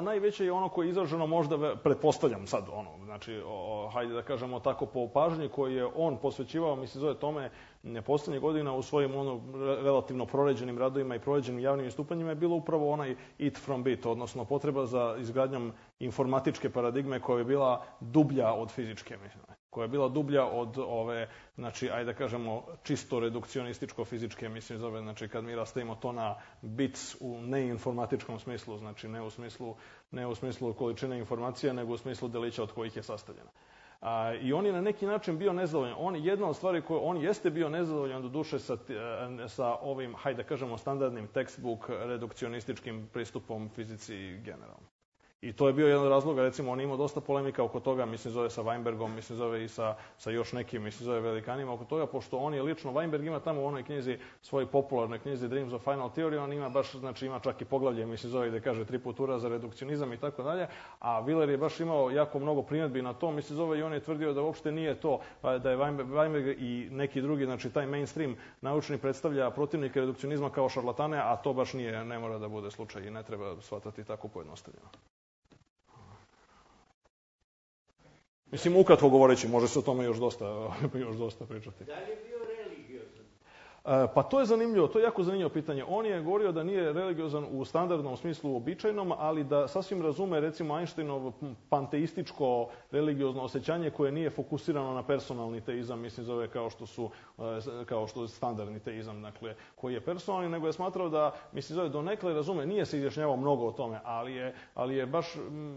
Najveće je ono koje je izraženo možda, pretpostavljam sad, znači, hajde da kažemo tako, po pažnji koji je on posvećivao, mislim, zove tome, poslednjih godina u svojim relativno proređenim radovima i proređenim javnim istupanjima je bilo upravo onaj it from bit, odnosno potreba za izgradnjom informatičke paradigme koja je bila dublja od fizičke, mislim, koja je bila dublja od ove, znači, ajde da kažemo, čisto redukcionističko-fizičke, mislim, zove, znači, kad mi rastavimo to na bits u neinformatičkom smislu, znači, ne u smislu količine informacija, nego u smislu delića od kojih je sastavljena. I on je na neki način bio nezadovoljan. Jedna od stvari koje on jeste bio nezadovoljan do duše sa ovim, hajde da kažemo, standardnim textbook redukcionističkim pristupom fizici generalno. I to je bio jedan od razloga, recimo, on imao dosta polemika oko toga, mislim, zove sa Weinbergom, mislim, zove i sa još nekim, mislim, zove velikanima oko toga, pošto on je lično, Weinberg ima tamo u onoj knjizi, svojoj popularnoj knjizi Dreams of Final Theory, on ima baš, znači, ima čak i poglavlje, mislim, zove gde kaže 3 putura za redukcionizam i tako dalje, a Wheeler je baš imao jako mnogo primjedbi na to, mislim, zove i on je tvrdio da uopšte nije to, da je Weinberg i neki drugi, znači, taj mainstream naučni predstavlja protivnike redukcionizma kao šarlatane, a to baš ne mora da bude slučaj i ne treba shvatati tako pojednostavljeno. Mislim, ukratko govoreći, može se o tome još dosta pričati. Da li je bio religiozan? Pa to je zanimljivo, to je jako zanimljivo pitanje. On je govorio da nije religiozan u standardnom smislu običajnom, ali da sasvim razume, recimo, Einsteinovo panteističko religiozno osjećanje koje nije fokusirano na personalni teizam, mislim, zove kao što je standardni teizam, dakle, koji je personalni, nego je smatrao da, mislim, zove donekle razume, nije se izjašnjavao mnogo o tome, ali je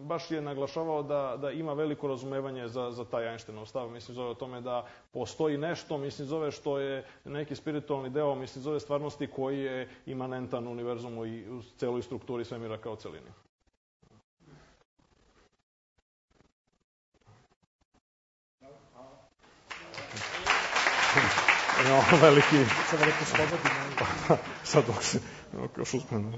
baš je naglašavao da ima veliko razumevanje za taj Einsteinov stav, mislim, zove o tome da postoji nešto, mislim, zove što je neki spiritualni deo, mislim, zove stvarnosti koji je imanentan univerzumu i u celoj strukturi svemira kao celini. Veliki... Sad dok se... Još uspredno.